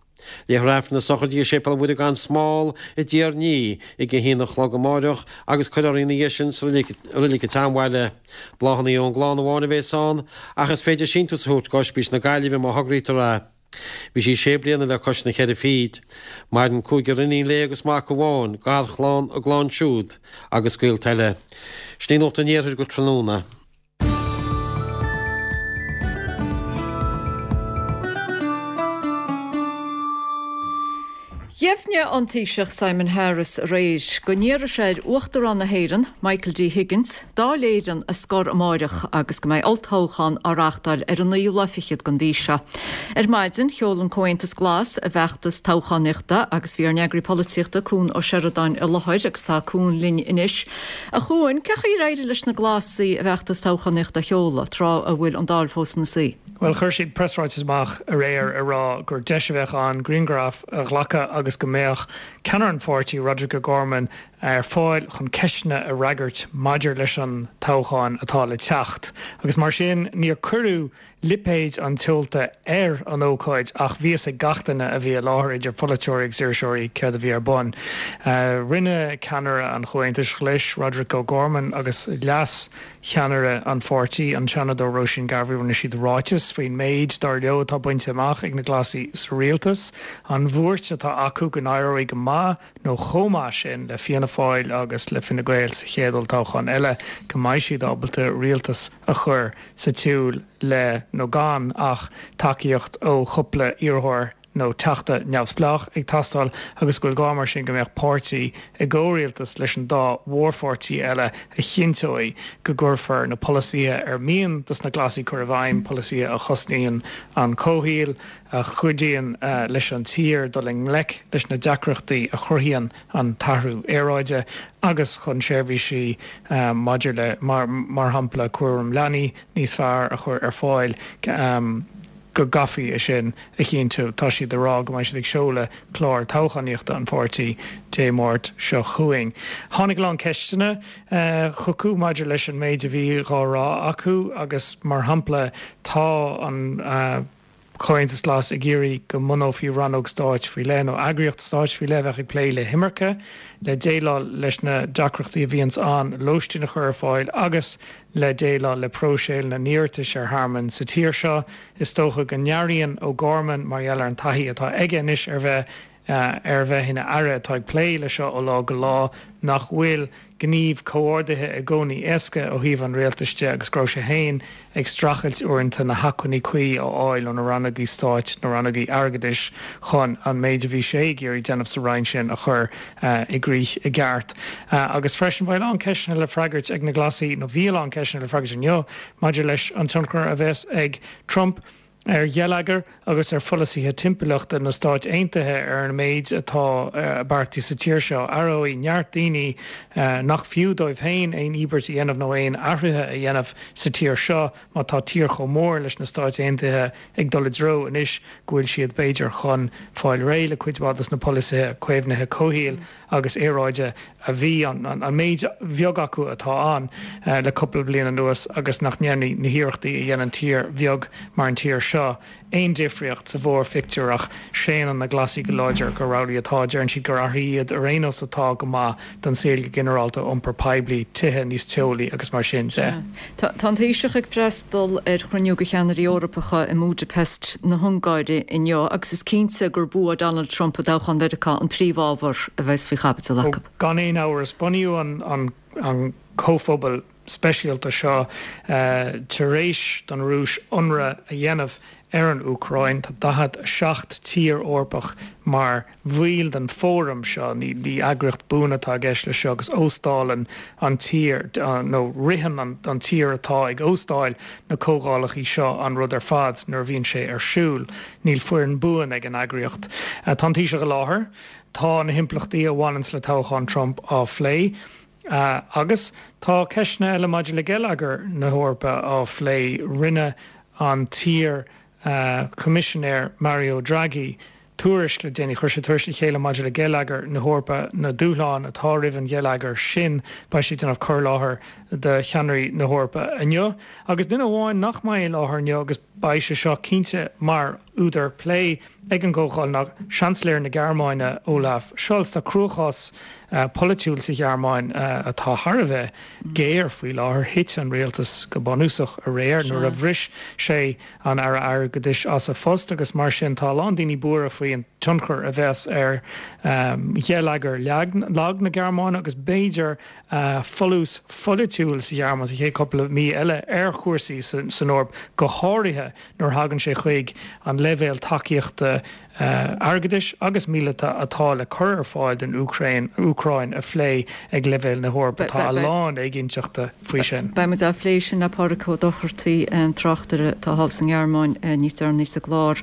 Léifear Aifreann na sochraide i Séipéal Mhuire gan Smál i dTír an Fhia ag a haon a chlog amáireach agus cuirfear í ina dhiaidh sin sa reilig an tSeanbhaile. Bláthanna ón gclann amháin a bhéas ann ach is féidir síntiús a thabhairt go Ospís na Gaillimhe má thograítear é. Bhí sí sé bliana le cois na ceithre fichid. Maireann cúigear iníon léi agus mac amháin, garchlann, a gclann siúd agus gaolta eile. Sin í Nuacht an Iarthair go tráthnóna. Dheimhnigh an Taoiseach Simon Harris aréir go n-iarrfaidh sé ar Uachtarán na hÉireann, Michael D Higgins, Dáil Éireann a scor amáireach agus go mbeidh olltoghchán á reáchtáil ar an naoú lá fichead den mhí seo. Ar maidin, sheol an Comhaontas Glas a bhfeachtas toghchánaíochta agus bhí ár n-eagraí polaitíochta, Cuan Ó Seireadáin i láthair agus tá Cuan linn anois. A Chuain, cén chaoi ar éirigh leis na Glasaigh a bhfeachtas toghchánaíochta a sheoladh, tráth a bhfuil an Dáil fós ina suí? Bhuel, chuir siad preasráiteas amach aréir ag rá gur deis a bheadh ann grianghraif a ghlacadh agus go mbeadh ceannaire an pháirtí, Roderic O'Gorman, ar fáil chun ceisteanna a fhreagairt maidir leis an toghchán atá le teacht. Agus mar sin, níor cuireadh lipéid an tseolta ar an ócáid ach bhí fhios ag gach duine a bhí i láthair, idir pholaiteoirí agus iriseoirí, céard a bhí ar bun. Rinne ceannaire an Chomhaontais Ghlais, Roderic O'Gorman, agus leas cheannaire an pháirtí, an Seanadóir Róisín Garvey, rinne siad ráiteas faoin méid, dar leo, atá bainte amach ag na Glasaigh sa rialtas, an bhuairt atá acu go n-éireoidh go maith nó chomh maith sin le Fianna Fáil agus le Fine Gael sa chéad olltoghchán eile, go mbeidh siad ábalta rialtas a chur sa tsiúl le nó gan ach tacaíocht ó chúpla iarrthóir nó teachta neamhspleách ag teastáil agus go bhfuil gá mar sin go mbeadh páirtí i gcomhrialtas leis an dá mhórpháirtí eile a chinnteoidh go gcuirfear na polasaithe ar mian dos na Glasaigh cur i bhfeidhm, polasaithe a chosnaíonn an comhshaol, a chuidíonn leis an tír dul i ngleic leis na deacrachtaí a chruthaíonn an t-athrú aeráide agus chun seirbhísí maidir le, mar shampla, cúram leanaí níos fearr a chur ar fáil. go gcaithfí é sin a chinntiú. Tá siad ag rá go mbeidh siad ag seoladh clár toghchánaíochta an pháirtí Dé Máirt seo chugainn. Tháinig a lán ceisteanna chucu maidir leis an méid a bhí dhá rá acu agus mar shampla tá an Comhaontas Glas ag iarraidh go mbunófaí rannóg stáit faoi leith nó eagraíocht stáit faoi leith a bheadh ag plé le himirce, le déileáil leis na deacrachtaí a bhíonns ann lóistín a chur ar fáil agus le déileáil le próiseáil na n-iarratais ar thearmann sa tír seo. Is dócha go n-airíonn O'Gorman, mar gheall ar an taithí atá aige anois ar bheith ar bheith ina aire atá ag plé le seo ó lá go lá, nach bhfuil gníomh comhordaithe i gcónaí éasca ó thaobh an rialtais de agus go raibh sé féin ag streachailt uaireanta na hacmhainní cuí a fháil ó na rannógaí stáit, na rannógaí airgeadais chun an méid a bhí sé ag iarraidh déanamh sa roinn sin a chur i gcrích i gceart. Agus freisin beidh a lán ceisteanna le freagairt ag na Glasaigh, nó bhí a lán ceisteanna le freagairt inniu, maidir leis an tionchar a bheas ag Trump. ar gheilleagar agus ar pholasaithe timpeallachta na Stáit Aontaithe ar an méid atá beartaithe sa tír seo. Aireoidh neart daoine nach fiú dóibh féin aon íobairt a dhéanamh nó aon athruithe a dhéanamh sa tír seo má tá tír chomh mór leis na Stáit Aontaithe ag dul i dtreo anois go bhfuil siad b'fhéidir chun fáil réidh le cuid mhaith dos na polasaithe caomhnaithe comhshaoil agus aeráide a bhí an an méid bheag acu atá ann le cúpla bliain anuas agus nach ndéanfaidh na hiarrachtaí a dhéanann tír bheag mar an tír seo aon difríocht sa mhórphictiúr ach séanann na Glasaigh go láidir gur amhlaidh atá. Deireann siad gur athruithe iad ar aon nós atá go maith don saol go ginearálta, iompar poiblí, tithe níos teolaí agus mar sin de. Tá an Taoiseach ag freastal ar chruinniú de cheannairí Eorpacha i mBúdaipeist na hUngáire inniu agus is cinnte gur bua Donald Trump i dtoghchán Mheiriceá an príomhábhar a bheas faoi chaibidil acu. Gan aon amhras, bunaíodh an an comhphobal speisialta seo tar éis don Rúis ionradh a dhéanamh ar an Úcráin. Tá daichead a seacht tír Eorpach mar bhaill den fóram seo. Ní eagraíocht buan atá i gceist leis seo agus óstálann an tír nó ritheann an tír atá ag óstáil na comhdhálacha seo an rud ar fad nuair a bhíonn sé ar siúl. Níl foireann buan ag an eagraíocht. Tá an Taoiseach i láthair. Tá na himpleachtaí a bhaineanns le toghchán Trump á phlé. Agus tá ceisteanna eile maidir le geilleagar na hEorpa á phlé. Rinne an t-iar Choimisinéir Mario Draghi tuairisc le déanaí. Chuir sé tuairisc le chéile maidir le geilleagar na hEorpa, na dúshláin atá roimh an gheilleagar sin. Beidh sé ag déanamh cur i láthair do cheannairí na hEorpa inniu. Agus duine amháin nach mbeidh i láthair inniu agus beidh sé seo cinnte mar údar plé ag an gcomhdháil ná Seansailéir na Gearmáine Olaf Scholz. Tá cruachás polaitiúil sa Ghearmáin atá thar a bheith géar faoi láthair. Thit an rialtas go bunúsach aréir nuair a bhris sé an Aire Airgeadais as a phost agus mar sin tá a lán daoine buartha faoi an tionchar a bheas ar gheilleagar lag na Gearmáine agus b'fhéidir folús pholaitiúil sa Ghearmáin sa chéad cúpla mí eile ar chúrsaí san Eoraip, go háirithe nuair a thagann sé chuig an leibhéal tacaíochta airgeadais agus míleata atá le cur ar fáil don Úcráin Úcráin a phlé ag leibhéal na hEorpa. Tá a lán éiginnteachta faoi sin. Beidh muid á phlé sin le Pádraig Ó Dochartaigh, tráchtaire atá thall sa nGearmáin níos deireanaí sa gclár.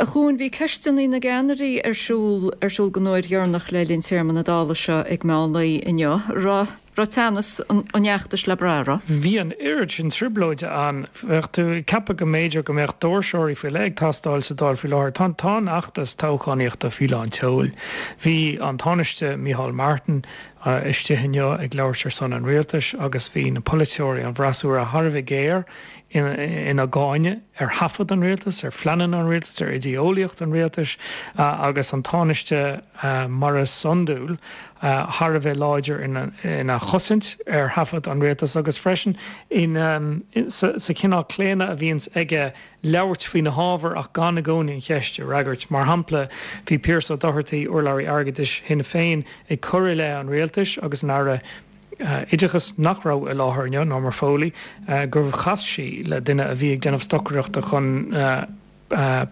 A Chuain, bhí ceisteanna na gceannairí ar siúl ar siúl don uair dheireanach le linn téarma na Dála seo ag meán lae inniu. Raibh raibh teannas an fheachtais le brath, raibh? Bhí an oiread sin trioblóide ann. Bheadh tú ag ceapadh go mb'fhéidir go mbeadh doirseoirí faoi leith ag teastáil sa Dáil faoi láthair. Tá tá an fheachtas toghchánaíochta faoi lán tseoil. Bhí an Tánaiste Micheál Martin istigh inniu ag labhairt ar son an rialtais agus bhí na polaiteoirí, an bhfreasúra thar a bheith géar ina gcáineadh ar thaifead an rialtais, ar phleananna an rialtais, ar idé-eolaíocht an rialtais agus an Tánaiste mar is iondúil thar a bheith láidir ina chosaint ar thaifead an rialtais agus freisin sa chineál claonadh a bhíonns aige labhairt faoi na hábhair ach gan i gcónaí an cheist a fhreagairt. Mar shampla, bhí Pearse Ó Dochartaigh, urlabhraí airgeadais Shinn Féin, ag cur i leith an rialtais agus an Aire Oideachais nach raibh i láthair inniu, Norma Foley, gur chas sí le duine a bhí ag déanamh stocaireachta chun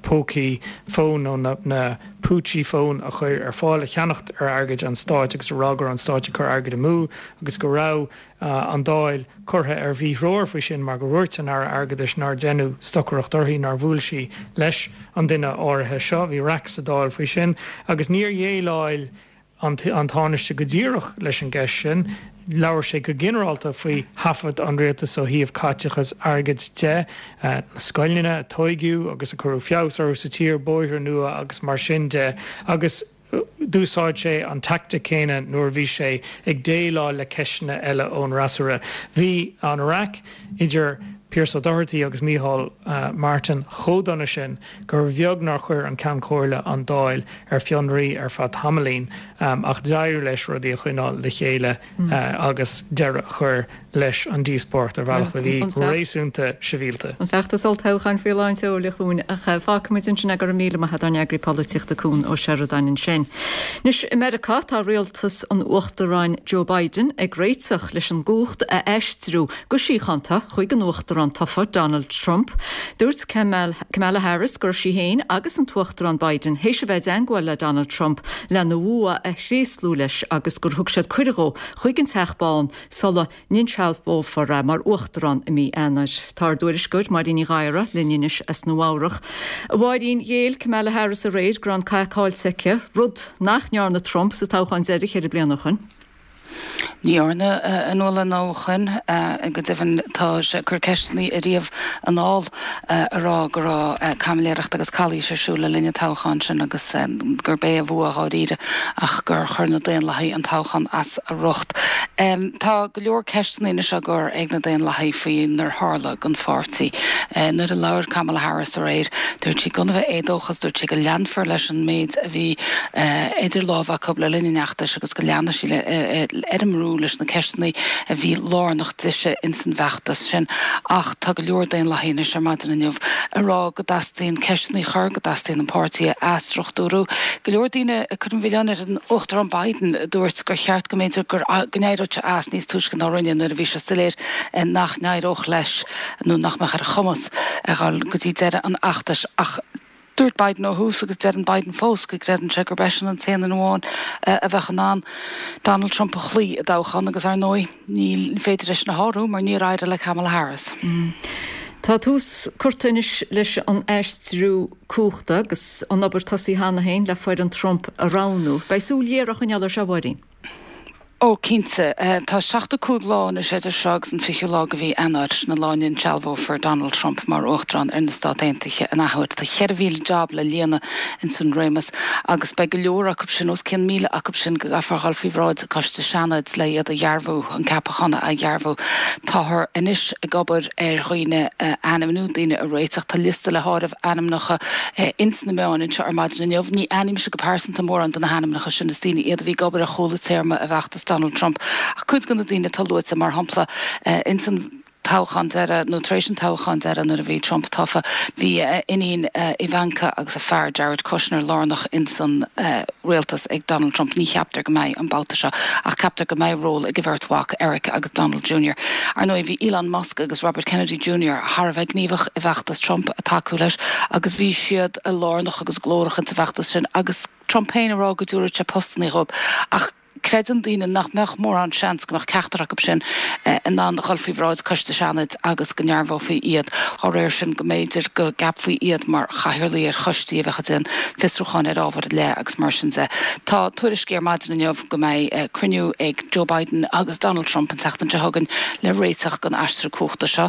pócaí fóin nó na púitsí fóin a chur ar fáil a cheannacht ar airgead an stáit agus a rá go raibh an stáit ag cur airgead amú agus go raibh an Dáil curtha ar mhíthreoir faoi sin mar gur dhúirt an Aire Airgeadais nár deineadh stocaireacht uirthi, nár bhuail sí leis an duine áirithe seo. Bhí raic sa Dáil faoi sin agus níor dhéileáil an Tánaiste go díreach leis an gceist sin. Labhair sé go ginearálta faoi thaifead an rialtais ó thaobh caiteachas airgid de, na scoileanna a tóigeadh agus a cuireadh feabhas orthu sa tír, bóithre nua agus mar sin de, agus d'úsáid sé an teaictic céanna nuair a bhí sé ag déileáil le ceisteanna eile ón fhreasúra. Bhí an raic idir Pearse Ó Dochartaigh agus Micheál Martin chomh dona sin gur bheag nár chuir an Ceann Comhairle an Dáil ar fionraí ar feadh tamaillín ach d'éirigh leis rudaí a choinneáil le chéile agus deireadh a chur leis an díospóireacht ar bhealach a bhí réasúnta sibhialta. An feachtas olltoghcháin faoi lán tseoil, a Chuain, ach fágfaimid ansin é. Go raibh míle maith agat, ár n-eagraí polaitíochta Cuan Ó Seireadáin ansin. Anois i Meiriceá tá rialtas an Uachtaráin Joe Biden ag réiteach leis an gcumhacht a aistriú go síochánta chuig an Uachtarán Uachtarán tofa Donald Trump. Dúirt Kamala Harris go raibh sí féin agus an tUachtarán Biden théis a bheith i dteagmháil le Donald Trump lena bhua a thréaslú leis agus gur thug siad cuireadh dó chuig an Teach Bán sula n-insealbhófar é mar Uachtarán i mí Eanáir. Tá ár dtuairisceoir Máirín Ní Ghadhra linn anois as Nua-Eabhrac. A Mháirín, ghéill Kamala Harris aréir go raibh an cath caillte aici, rud nach ndearna Trump sa toghchán deiridh ceithre bliana ó shin. Ní dhearna a Nuala nó ó shin, go deimhin tá sé ag cur ceisteanna ariamh anall a rá go raibh caimiléireacht agus calaois ar siúl le linn an toghcháin sin agus gurb é a bhua dháiríre ach gur chuir na Daonlathaigh an toghchán as a riocht. Tá go leor ceisteanna anois á gcur ag na Daonlathaigh faoinar tharla don pháirtí. Nuair a labhair Kamala Harris aréir, dúirt sí gan a bheith éadóchas, dúirt sí go leanfar leis an méid a bhí idir lámha acu le linn an fheachtais agus go leanfaidh sí ar an mbrú leis na ceisteanna a bhí lárnach dise ins an bhfeachtas sin. Ach tá go leor Daonlathaigh anois ar maidin inniu ag rá go dteastaíonn ceisteanna a chur, go dteastaíonn an páirtí a athstruchtúrú. Go leor daoine ag cur an mhilleáin ar an Uachtarán Biden a dúirt gur cheart go mb'fhéidir go n-éireodh sé as níos túisce ná rinne nuair a bhí sé soiléir nach n-éireodh leis nó nach mbeadh ar a chumas a dhul go dtí deireadh an fheachtais. Ach dúirt Biden ó thús agus deireann Biden fós go gcreideann sé gurb eisean an t-aon duine amháin a bheadh in ann Donald Trump a chloí i dtoghchán agus ar ndóigh ní féidir é sin a shárú mar níor éirigh le Kamala Harris. Tá tús curtha anois leis an aistriú cumhachta agus an obair tosaithe cheana féin le foireann Trump a roghnú. Beidh súil ghéar á choinneáil air seo, a Mháirín. Ó, cinnte. Tá seachtó cúig lá anois idir seo agus an fichiú lá de mhí Eanáir, sin an lá a n-insealbhófar Donald Trump mar Uachtarán ar na Stáit Aontaithe an athuair. Tá cheithre mhíle jab le líonadh ins an réimeas agus beidh go leor acu sin, os cionn míle acu sin, go gcaithfear dhul faoi bhráid Coiste Seanaid le iad a dhearbhú, an ceapachán a dhearbhú. Táthar anois ag obair ar dhaoine a ainmniú, daoine a réiteach. Tá liosta le háireamh ainmneacha ins na meáin anseo ar maidin inniu. Ní aithnímse go pearsanta mórán de na hainmneacha sin, is daoine iad a bhí ag obair ar chúla téarma i bhfeachtas Donald Trump. Ach cuid de na daoine atá luaite, mar shampla, ins an toghchán deiridh, nó tar éis an toghcháin deiridh nuair a bhí Trump tofa, bhí a iníon Ivanka agus a fear Jared Kushner lárnach ins an rialtas ag Donald Trump. Ní cheaptar go mbeidh an babhta seo, ach ceaptar go mbeidh ról ag a bheirt mhac, Eric agus Donald Junior Ar ndóigh, bhí Elon Musk agus Robert Kennedy Junior thar a bheith gníomhach i bhfeachtas Trump ag tacú leis agus bhí siad lárnach agus glórach insa bhfeachtas sin agus Trump féin ag rá go dtabharfadh sé postanna dhóibh. Ach creideann daoine nach mbeadh mórán seans go mbeadh ceachtar acu sin in ann a dhul faoi bhráid Coiste Seanaid agus go ndearbhófaí iad. Dá réir sin, go mb'fhéidir go gceapfaí iad mar chathaoirligh ar choistí a bheadh ag déanamh fiosrúcháin ar ábhair ar leith agus mar sin de. Tá tuairiscí ar maidin inniu go mbeidh cruinniú ag Joe Biden agus Donald Trump an tseachtain seo chugainn le réiteach don aistriú cumhachta seo.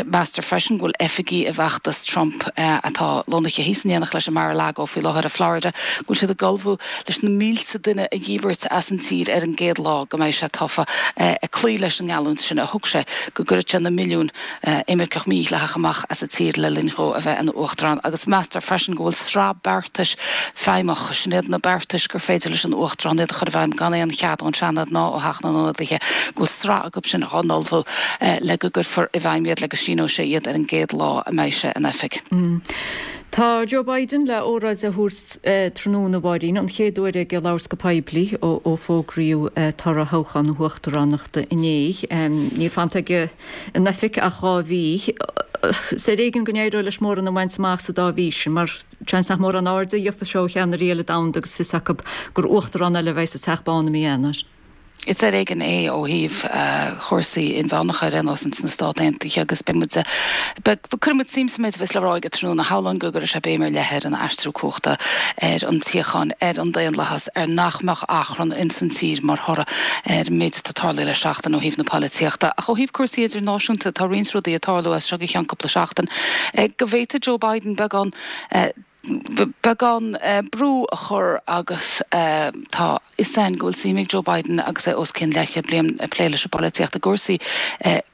Meastar freisin go bhfuil oifigigh i bhfeachtas Trump atá lonnaithe thíos in éineacht leis i Mar-a-Lago faoi láthair i Florida, go bhfuil siad ag ullmhú leis na mílte duine a dhíbirt as an tír ar an gcéad lá go mbeidh sé tofa, ag cloí leis an ngeallúint sin a thug sé go gcuirfeadh sé na milliúin imirceach mídhleathach amach as an tír le linn dhó a bheith ina uachtarán. Agus meastar freisin go bhfuil sraith beartais feidhmeach, sin iad na beartais gur féidir leis an uachtarán iad a chur i bhfeidhm gan aon chead ón Seanad ná ó Theach na nIonadaithe, go bhfuil sraith acu sin á n-ullmhú le go gcuirfear i bhfeidhm iad, le go síneoidh sé iad ar an gcéad lá a mbeidh sé in oifig. Tá Joe Biden le óráid a thabhairt tráthnóna, a Mháirín, an chéad uair aige labhairt go poiblí ó fógraíodh toradh thoghchán na huachtaránachta inné. Níl fanta aige in oifig ach dhá mhí. Is ar éigean go n-éireoidh leis mórán a bhaint amach sa dá mhí sin, mar seans nach mórán airde a gheofas sé ó cheannairí eile domhanda agus fios acu gur uachtarán eile a bheidh sa Teach Bán i mí Eanáir. Is ar éigean é ó thaobh chúrsaí inmheánacha ar aon nós ins na Stáit Aontaithe agus beidh muid, beidh, cuirfidh muid suim sa méid a bheas le rá aige tráthnóna. Shamhlóinn go gcuirfidh sé béim ar leith ar an aistriú cumhachta, ar an tsíocháin, ar an daonlathas, ar nach mbeadh achrann ins an tír mar thoradh ar an méid atá tarlaithe le seachtain ó thaobh na polaitíochta. Ach ó thaobh cúrsaí idirnáisiúnta, tá roinnt rudaí ag tarlú as seo go ceann cúpla seachtain go bhféadfadh Joe Biden beagán, beagán brú a chur agus tá fhios againn go bhfuil suim ag Joe Biden agus é os cionn leathchéad bliain ag plé leis an bpolaitíocht i gcúrsaí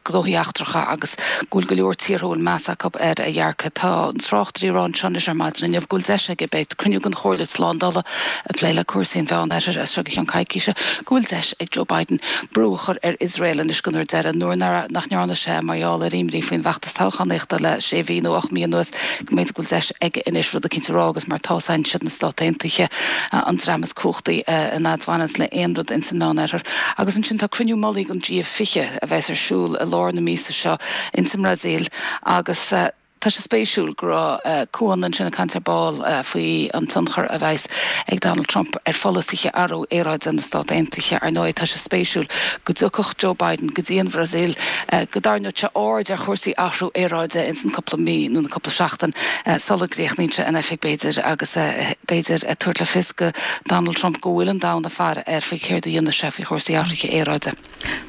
gnóthaí eachtracha agus go bhfuil go leor tíortha a bhfuil meas acu ar a dhearcadh. Tá na tráchtairí ag rá anseo anois ar maidin inniu go bhfuil deis aige, beidh cruinniú den Chomhairle Slándála ag plé le cúrsaí an Mheánoirthir as seo go ceann coicíse, go bhfuil deis ag Joe Biden brú a chur ar Iosrael anois den uair deireadh nuair nach ndearna sé mar gheall ar imní faoin bhfeachtas toghchánaíochta le sé mhí nó ocht mí anuas, go mb'fhéidir go bhfuil deis aige anois rud eicínt eicínt a rá agus mar tá siad na Stáit Aontaithe an dream is cumhachtaí an fhad bhaineanns le aon rud ins an Meánoirthear. Agus ansin tá cruinniú mullaigh an G fiche a bheas ar siúl i lár na míosa seo ins an mBrasaíl agus tá sé spéisiúil go raibh Cuan ansin ag caint ar ball faoi an tionchar a bheas ag Donald Trump ar pholasaithe athrú aeráide na Stát Aontaithe. Ar ndóigh tá sé spéisiúil go dtiocfadh Joe Biden go dtí an Bhrasaíl go dtarraingeodh sé aird ar chúrsaí athrú aeráide ins an cúpla mí nó na cúpla seachtain sula gcríochnaíonn sé in oifig b'fhéidir agus b'fhéidir tabhairt le fios go Donald Trump go bhfuil an domhan ag faire air faoi céard a dhéanfaidh sé faoi chúrsaí athraithe aeráide.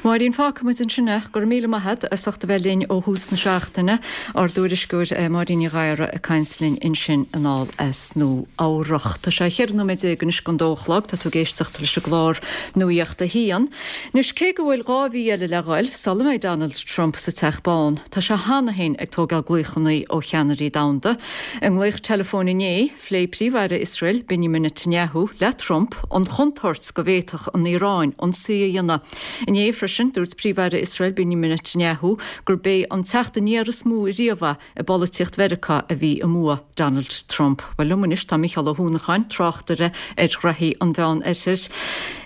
Máirín fágfaidh muid ansin é go raibh míle maith agat as ucht a bheith linn ó thús na seachtaine ár dtuairisceoir Máirín Ní Ghadhra ag caint linn ansin anall as Nua Eabhrac. Tá sé cheithre nóiméad déag anois don dó a chlog, tá tú ag éisteacht leis an gclár Nuacht a hAon. Anois cé go bhfuil dhá mhí eile le dhul sula mbeidh Donald Trump sa Teach Bán, tá sé cheana féin ag tógáil glaochanna ó cheannairí domhanda. I nglaoch teileafóin inné, phléigh Príomh-Aire Iosrael Benjamin Netanyahu le Trump an chontúirt go bhféadfadh an Iaráin ionsaí a dhéanamh. Inné freisin dúirt Príomh-Aire Iosrael Benjamin Netanyahu gurb é an teacht aniar is mó riamh i bpolaitíocht Mheiriceá a bhí i mbua Donald Trump. Well liom anois tá Micheál Ó hUanacháin tráchtaire ar ghraithí an Mheánoirthir.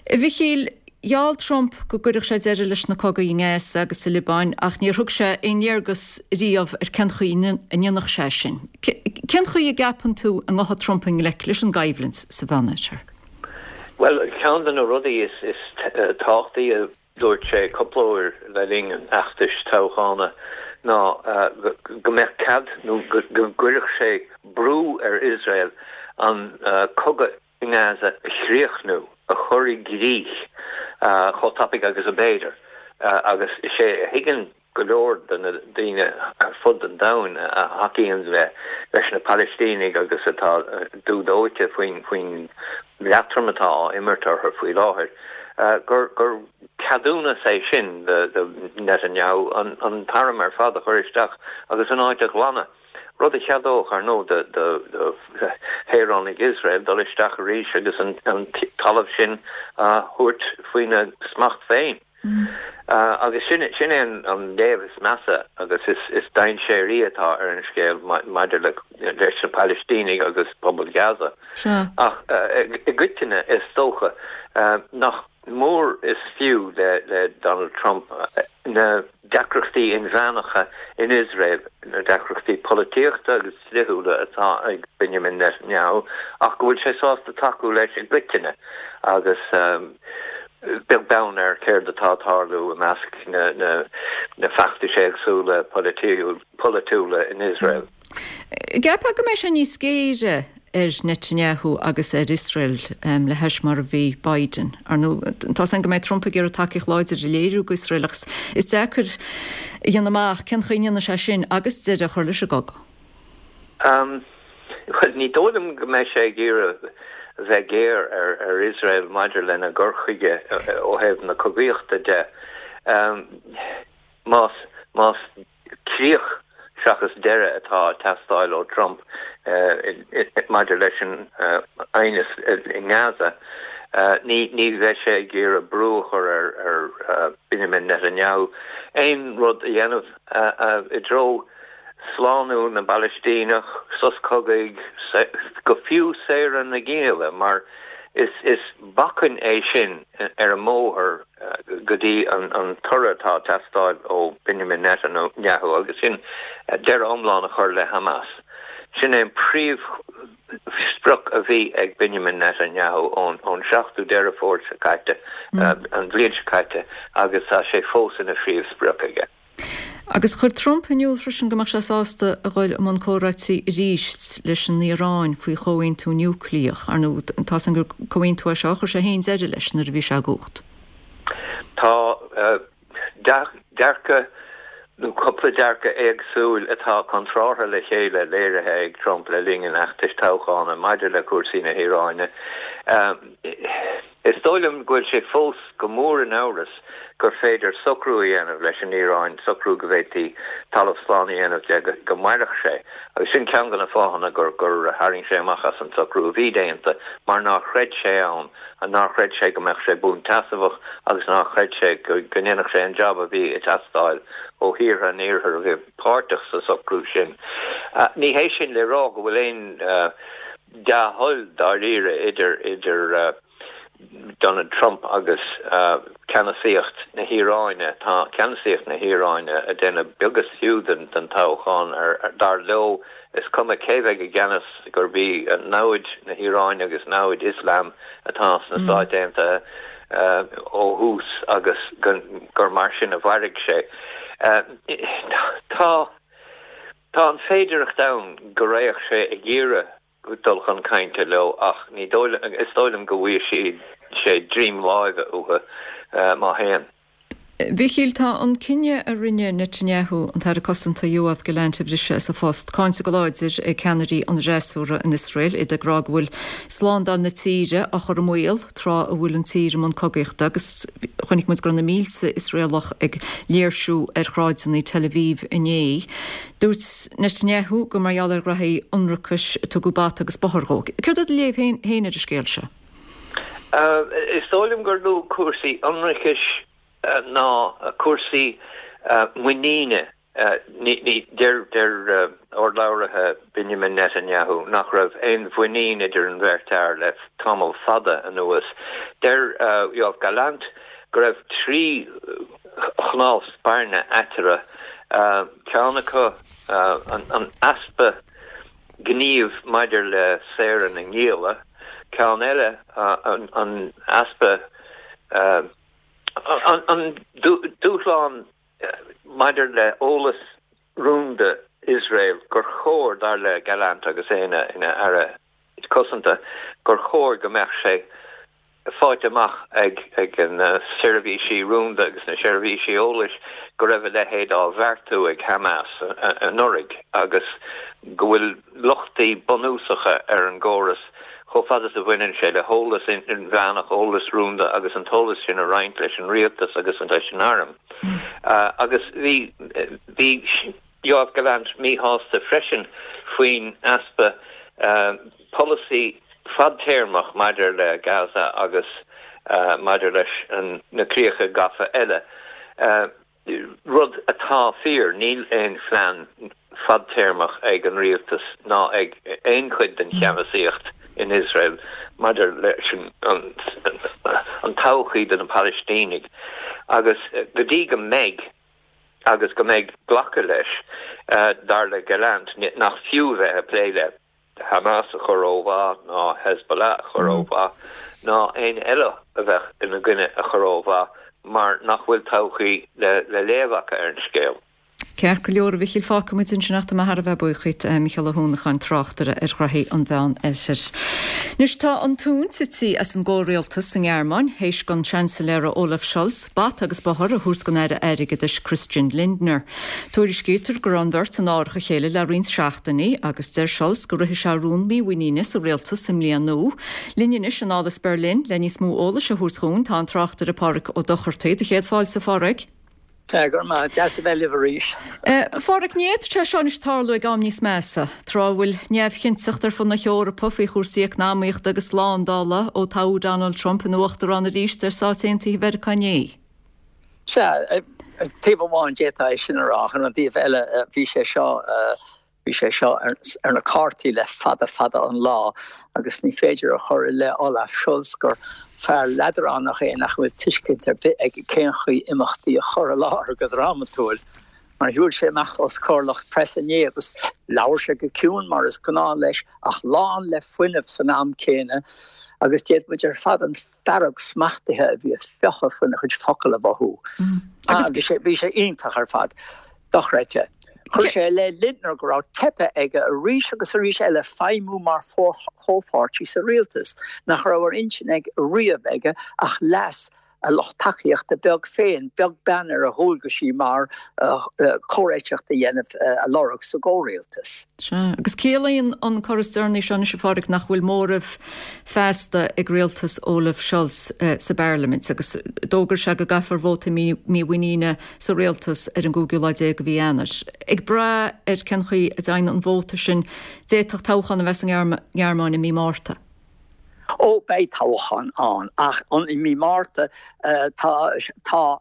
A Mhichíl, gheall Trump go gcuirfeadh sé deireadh leis na cogaí i nGaza agus sa Liobáin ach níor thug sé aon léargas riamh ar cén chaoi a ndéanfadh sé sin. Cén chaoi a gceapann tú a ngabhfaidh Trump i ngleic leis an gcoimhlint sa Mheánoirthear? Well ceann de na rudaí is is tábhachtaí a dúirt sé cúpla uair le linn an fheachtais toghchána ná go mbeadh cead nó go gcuirfeadh sé brú ar Iosrael an cogadh i nGaza a chríochnú, a chur i gcrích chomh tapaidh agus ab fhéidir. Agus is é a thuigeann go leor de na daoine ar fud an domhain a thacaíonn le leis na Palaistínigh agus atá dúdóite faoin faoin leatrom atá á imirt orthu faoi láthair, gur gur ceadúnas é sin do Netanyahu an an t-arm ar fad a chur isteach agus an áit a ghlanadh, rud a cheadódh ar ndóigh do do shaoránaigh Iosrael dul isteach arís agus an an talamh sin a thabhairt faoina smacht féin. Agus sin sin é an léamh is measa agus is is dainséaraí atá ar an scéal maidir le leis na Palaistínigh agus pobal Gaza. Ach i gcoitinne is dócha nach mór is fiú le le Donald Trump na deacrachtaí inmheánacha in Iosrael, na deacrachtaí polaitíochta agus dlíthiúla atá ag Benjamin Netanyahu, ach go bhfuil sé sásta tacú leis i gcoitinne agus beag beann ar céard atá ag tarlú i measc na na na feachtais éagsúla polaitiúla in Iosrael. Ceapfá go mbeidh sé níos géire ar Netanyahu agus ar Iosrael le hais mar a bhí Biden. Ar ndóigh, tá a fhios againn go mbeidh Trump ag iarraidh tacaíocht láidir a léiriú go Iosrael ach is deacair a dhéanamh amach cén chaoi a ndéanfaidh sé sin agus deireadh a chur leis an gcogadh. Bhuel, ní dóigh liom go mbeidh sé ag iarraidh a bheith géar ar ar Iosrael maidir lena gcur chuige ó thaobh na cogaíochta de. Más más críoch seachas deireadh atá ag teastáil ó Trump maidir leis an aighneas i nGaza, ní ní bheidh sé ag iarraidh brú a chur ar ar Benjamin Netanyahu aon rud a dhéanamh i dtreo slánú na bPalaistíneach, sos cogaidh, go fiú saoradh na ngialla, mar is is bacainn é sin ar an mbóthar go dtí an toradh atá ag teastáil ó Benjamin Netanyahu agus sin deireadh iomlán a chur le Hamas. Sin é an príomhsprioc a bhí ag Benjamin Netanyahu ón ón seachtú Deireadh Fómhair seo caite, an bhliain seo caite, agus tá sé fós ina phríomhsprioc aige. Agus chuir Trump in iúl freisin go mbeadh sé sásta a dhul i mbun comhráití arís leis an Iaráin faoi chomhaontú núicléach. Ar ndóigh, tá a fhios againn gur comhaontú é seo a chuir sé féin deireadh leis nuair a bhí sé i gcumhacht. Tá dearcadh nó cúpla dearcadh éagsúil atá contrártha le chéile léirithe ag Trump le linn an fheachtais toghchána maidir le cúrsaí na hIaráine. Is dóigh liom go bhfuil sé fós go mór in amhras gur féidir socrú a dhéanamh leis an Iaráin, socrú go bhféadfaí talamh slán a dhéanamh de go mairfeadh sé. Agus sin ceann de na fáthanna gur gur tharraing sé amach as an socrú a bhí déanta, mar nár chreid sé ann, nár chreid sé go mbeadh sé buanseasmhach agus nár chreid sé go ndéanfadh sé an jab a bhí ag teastáil ó thíortha an Iarthair a bhí páirteach sa socrú sin. Ní hé sin le rá go bhfuil aon dea-thoil dáiríre idir idir Donald Trump agus ceannasaíocht na hIaráine. Tá ceannasaíocht na hIaráine ag déanamh beag is fiú den den toghchán ar dar leo is cuma cé bheidh i gceannas gurb í namhaid na hIaráine agus namhaid Ioslam atá sna Stáit Aontaithe ó thús agus gur mar sin a mhairfidh sé. Tá tá an féidearthacht ann go raghadh sé ag iarraidh dul chun cainte leo ach ní dóigh is dóigh liom go bhfaighidh sé droim láimhe uathu má théann. Mhichíl, tá an cinneadh a rinne Netanyahu an tAire Cosanta Yoav Gallant a bhriseadh as a phost cáinte go láidir ag ceannairí an fhreasúra in Iosrael, iad ag rá go bhfuil slándáil na tíre á chur i mbaol tráth a bhfuil an tír i mbun cogaíochta agus chonaic muid go raibh na mílte Iosraelach ag léirsiú ar shráideanna Tel Aviv inné. Dúirt Netanyahu gur mar gheall ar ghraithí ionracais a tugadh bata agus bóthar dhó. Céard é do léamh féin ar an scéal seo? Is dóigh liom gur lú cúrsaí ionracais ná cúrsaí muiníne. Deir deir urlabhraithe Benjamin Netanyahu nach raibh aon mhuinín idir an bheirt fhear le tamall fada anuas. Deir Yoav Gallant go raibh trí chnámh spairne eatarthu, ceann acu an easpa gnímh maidir le saoradh na ngialla, ceann eile an easpa An dúshlán maidir le eolas rúnda Iosrael gur chóir, dar le Gallant agus é ina aire cosanta, gur chóir go mbeadh sé faighte amach ag na seirbhísí rúnda agus na seirbhísí eolais go raibh a leithéid á bheartú ag Hamas anuraidh agus go bhfuil lochtaí bunúsacha ar an gcóras chomh fada is a bhaineann sé le heolas inmheánach, eolas rúnda agus an t-eolas sin a roinnt leis an rialtas agus leis an arm. Agus bhí bhí Yoav Gallant míshásta freisin faoin easpa polasaí fadtéarmach maidir le Gaza agus maidir leis na críocha gafa eile. Rud atá fíor, níl aon phlean fadtéarmach ag an rialtas ná ag aon chuid den cheannasaíocht in Iosrael maidir leis an todhchaí do na Palaistínigh agus go dtí go mbeidh agus go mbeidh glacadh leis, dar le Gallant, nach fiú bheith ag plé le. Hamas a chur ó mhaith ná Hezbollah a chur ó mhaith ná éinne eile a bheadh ina gcoinne a chur ó mhaith mar nach bhfuil todhchaí le léamh acu ar an scéal. Ceart go leor, a Mhichíl, fágfaidh muid ansin ach tá mé thar a bheith buíoch díot, Micheál Ó hUanacháin, tráchtaire ar ghraithí an Mheán Oirthir. Anois tá an tóin tite as an gcomhrialtas sa nGearmáin, théis don Seansailéara Olaf Scholz bata agus bóthar a thabhairt don Aire Airgeadais Christian Lindner. Tuairiscítear go raibh an bheirt in árach a chéile le roinnt seachtainí agus deir Scholz go rithfidh sé rún mímhuiníne sa rialtas sa mbliain nua. Linn anois anall as Berlin le níos mó eolais a thabhairt dhúinn tá an tráchtaire Pádhraic Ó Dochartaigh. Do chéad fáilte, a Phádhraic. Go raibh maith, deas a bheith libh arís. A Phádhraic, ní fhéadfadh sé seo anois tarlú ag am níos measa, tráth a bhfuil neamhchinnteacht ar fud na hEorpa faoi chúrsaí eacnamaíochta agus slándála ó toghadh Donald Trump ina uachtarán arís ar Stáit Aontaithe Mheiriceá inné. Sea, taobh amháin d'fhéadfá é sin a rá, ach ar an dtaobh eile bhí sé seo, bhí sé seo ar na cártaí le fada fada an lá agus ní féidir a chur i leith Olaf Scholz gur fear leadránach é nach bhfuil tuiscint ar bith aige cén chaoi imeachtaí a chur i láthair go drámatúil. Mar shiúil sé amach os comhair lucht preasa inné agus labhair sé go ciúin mar is gnáth leis ach lán le fuinneamh san am céanna agus d'fhéad muid ar fad an fearg smachtaithe a bhí ag fiuchadh faoina chuid focal a mhothú. Agus bhí sé bhí sé iontach ar fad. Dochreidte. Chuir sé i leith Lindner go raibh teipthe aige arís agus arís eile feidhmiú mar chomhpháirtí sa rialtas, nach raibh ar intinn ag riamh aige ach leas a lucht tacaíochta beag féin, beag beann ar a dhualgaisí mar comhréiteach a dhéanamh a lorg sa gcomhrialtas. Sea, agus ciallaíonn an cor is deireanaí seo anois, a Phádhraic, nach bhfuil móramh feasta ag rialtas Olaf Scholz sa bparlaimint, agus d'fhógair sé go gcaithfear vóta mímhuiníne sa rialtas ar an gcúigiú lá déag de mhí Eanáir. Ag brath ar cén chaoi a dtéann an vóta sin, d'fhéadfadh toghchán a bheith sa nGearmáin i mí Márta. Ó, beidh toghchán ann, ach an i mí Márta? Tá tá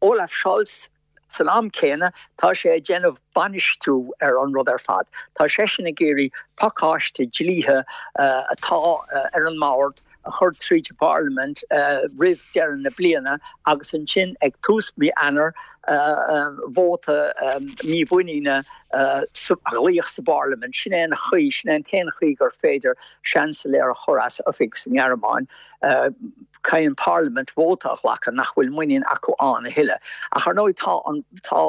Olaf Scholz San am céanna, tá sé ag déanamh bainistiú ar an rud ar fad. Tá seisean ag iarraidh pacáiste dlíthe atá ar an mbord a chur tríd an bParlaimint roimh deireadh na bliana agus ansin ag tús mí Eanáir vóta mímhuiníne a ghlaoch sa bParlaimint. Sin é an chaoi, sin é an t-aon chaoi gur féidir seansailéir a chur as oifig sa nGearmáin. Caithfidh an Pharlaimint vóta a ghlacadh nach bhfuil muinín acu ann a thuilleadh. Ach ar ndóigh tá an, tá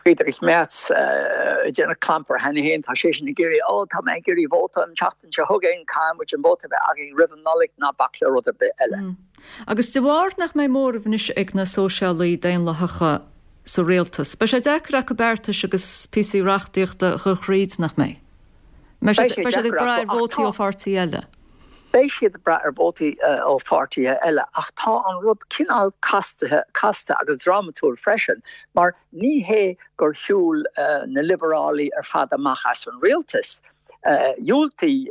Friedrich Merz ag déanamh clampar cheana féin, tá seisean ag iarraidh, ó tá mé ag iarraidh vóta an tseachtain seo chugainn, caithfidh muid an vóta a bheith againn roimh an Nollaig, ná bac le rud ar bith eile. Agus de bharr nach mbeidh móramh anois ag na Sóisialaigh Daonlathacha sa rialtas, beidh sé deacair acu beartais agus píosaí reachtaíochta a chur thríd, nach mbeidh? Beidh siad ag brath ar vótaí ó pháirtí eile. Beidh siad ag brath ar vótaí ó pháirtithe eile ach tá an rud cineál castaithe, casta agus drámatúil freisin mar ní hé gur shiúil na Liobarálaigh ar fad amach as an rialtas. Dhiúltaigh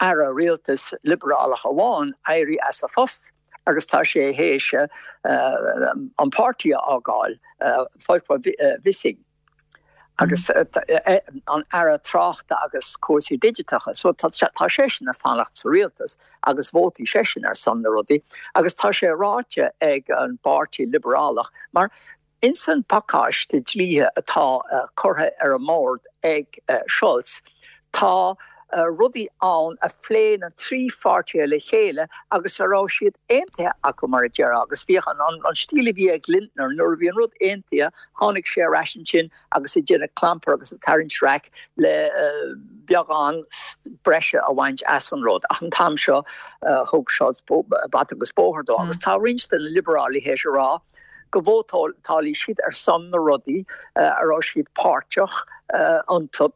aire rialtais Liobarálach amháin éirí as a phost agus tá sé théis an páirtí a fhágáil, Volker Wissing. agus an Aire Tráchta agus Cúrsaí Digiteacha. So tá seisean ag fanacht sa rialtas agus vótfaidh seisean ar son na rudaí agus tá sé ráite ag an bPáirtí Liobarálach mar ins an pacáiste dlíthe atá curtha ar an mbord ag Scholz tá rudaí ann a phléigh na trí pháirtithe le chéile agus a raibh siad aontaithe acu, mar a déarfá, agus bhíodh an an stíl a bhí ag Lindner, nuair a bhí an rud aontaithe, tháinig sé ar ais ansin agus ag déanamh clampar agus ag tarraingt raic le beagán breise a bhaint as an rud. Ach an t-am seo, thug Scholz bata agus bóthar dó agus tá roinnt de na liobarálaithe théis a rá go vótálfaidh siad ar son na rudaí a raibh siad páirteach iontu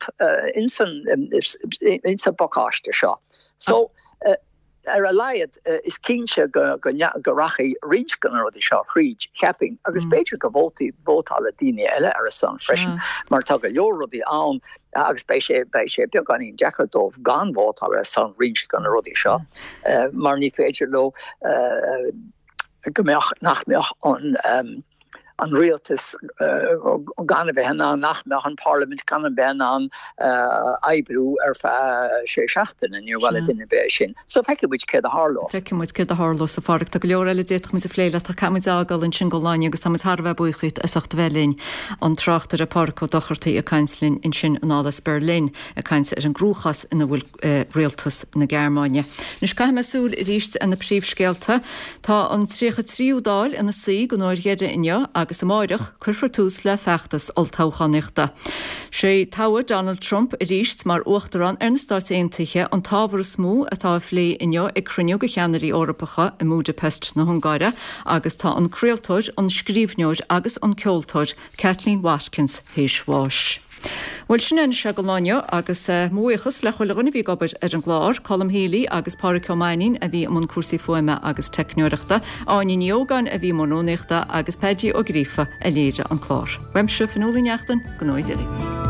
ins an bpacáiste seo. So, ar a laghad, is cinnte go rachaidh roinnt de na rudaí seo thríd, cheapfainn, agus b'fhéidir go vótálfaidh daoine eile ar a son freisin, mar tá go leor rudaí ann agus beidh sé beidh sé beagáinín deacair dóibh gan vótáil ar son roinnt de na rudaí seo, mar ní féidir leo go mbeadh, nach mbeadh an an rialtas gan a bheith in ann, nach mbeadh an parlaimint gan a bheith in ann oibriú ar feadh sé seachtaine, níor mhaith le duine ar bith é sin. So feicfidh muid céard a tharlós. Feicfidh muid céard a tharlós, a Phádraig. Tá go leor eile a d'fhéadfadh muid a phlé leat ach caithfidh muid a fhágáil ansin don lá inniu agus tá muid thar a bheith buíoch díot as ucht a bheith linn. An tráchtaire Pádraig Ó Dochartaigh ag caint linn ansin anall as Berlin ag caint ar an gcruachás ina bhfuil rialtas na Gearmáine. Anois caithfidh mé súil arís ar na príomhscéalta. Tá an tríocha tríú Dáil ina suí don uair dheiridh inniu agus amáireach cuirfear tús le feachtas olltoghchánaíochta. Sé toghadh Donald Trump arís mar Uachtarán ar na Stáit Aontaithe an t-ábhar is mó atá á phlé inniu ag cruinniú de cheannairí Eorpacha i mBudapest na hUngáire agus tá an craoltóir, an scríbhneoir agus an ceoltóir Kathleen Watkins théis bháis. Bhuel, sin é anois don lá inniu agus mo bhuíochas le chuile dhuine a bhí ag obair ar an gclár, Colm Healy agus Pádraic Ó Mainnín a bhí i mbun cúrsaí fuaime agus teicneoireachta, Áine Ní Ógáin a bhí i mbun rúnaíochta agus Peaidí Ó Gríofa a léirigh an clár. Uaimse, Fionnuala Ní Neachtain, go n-éirí libh.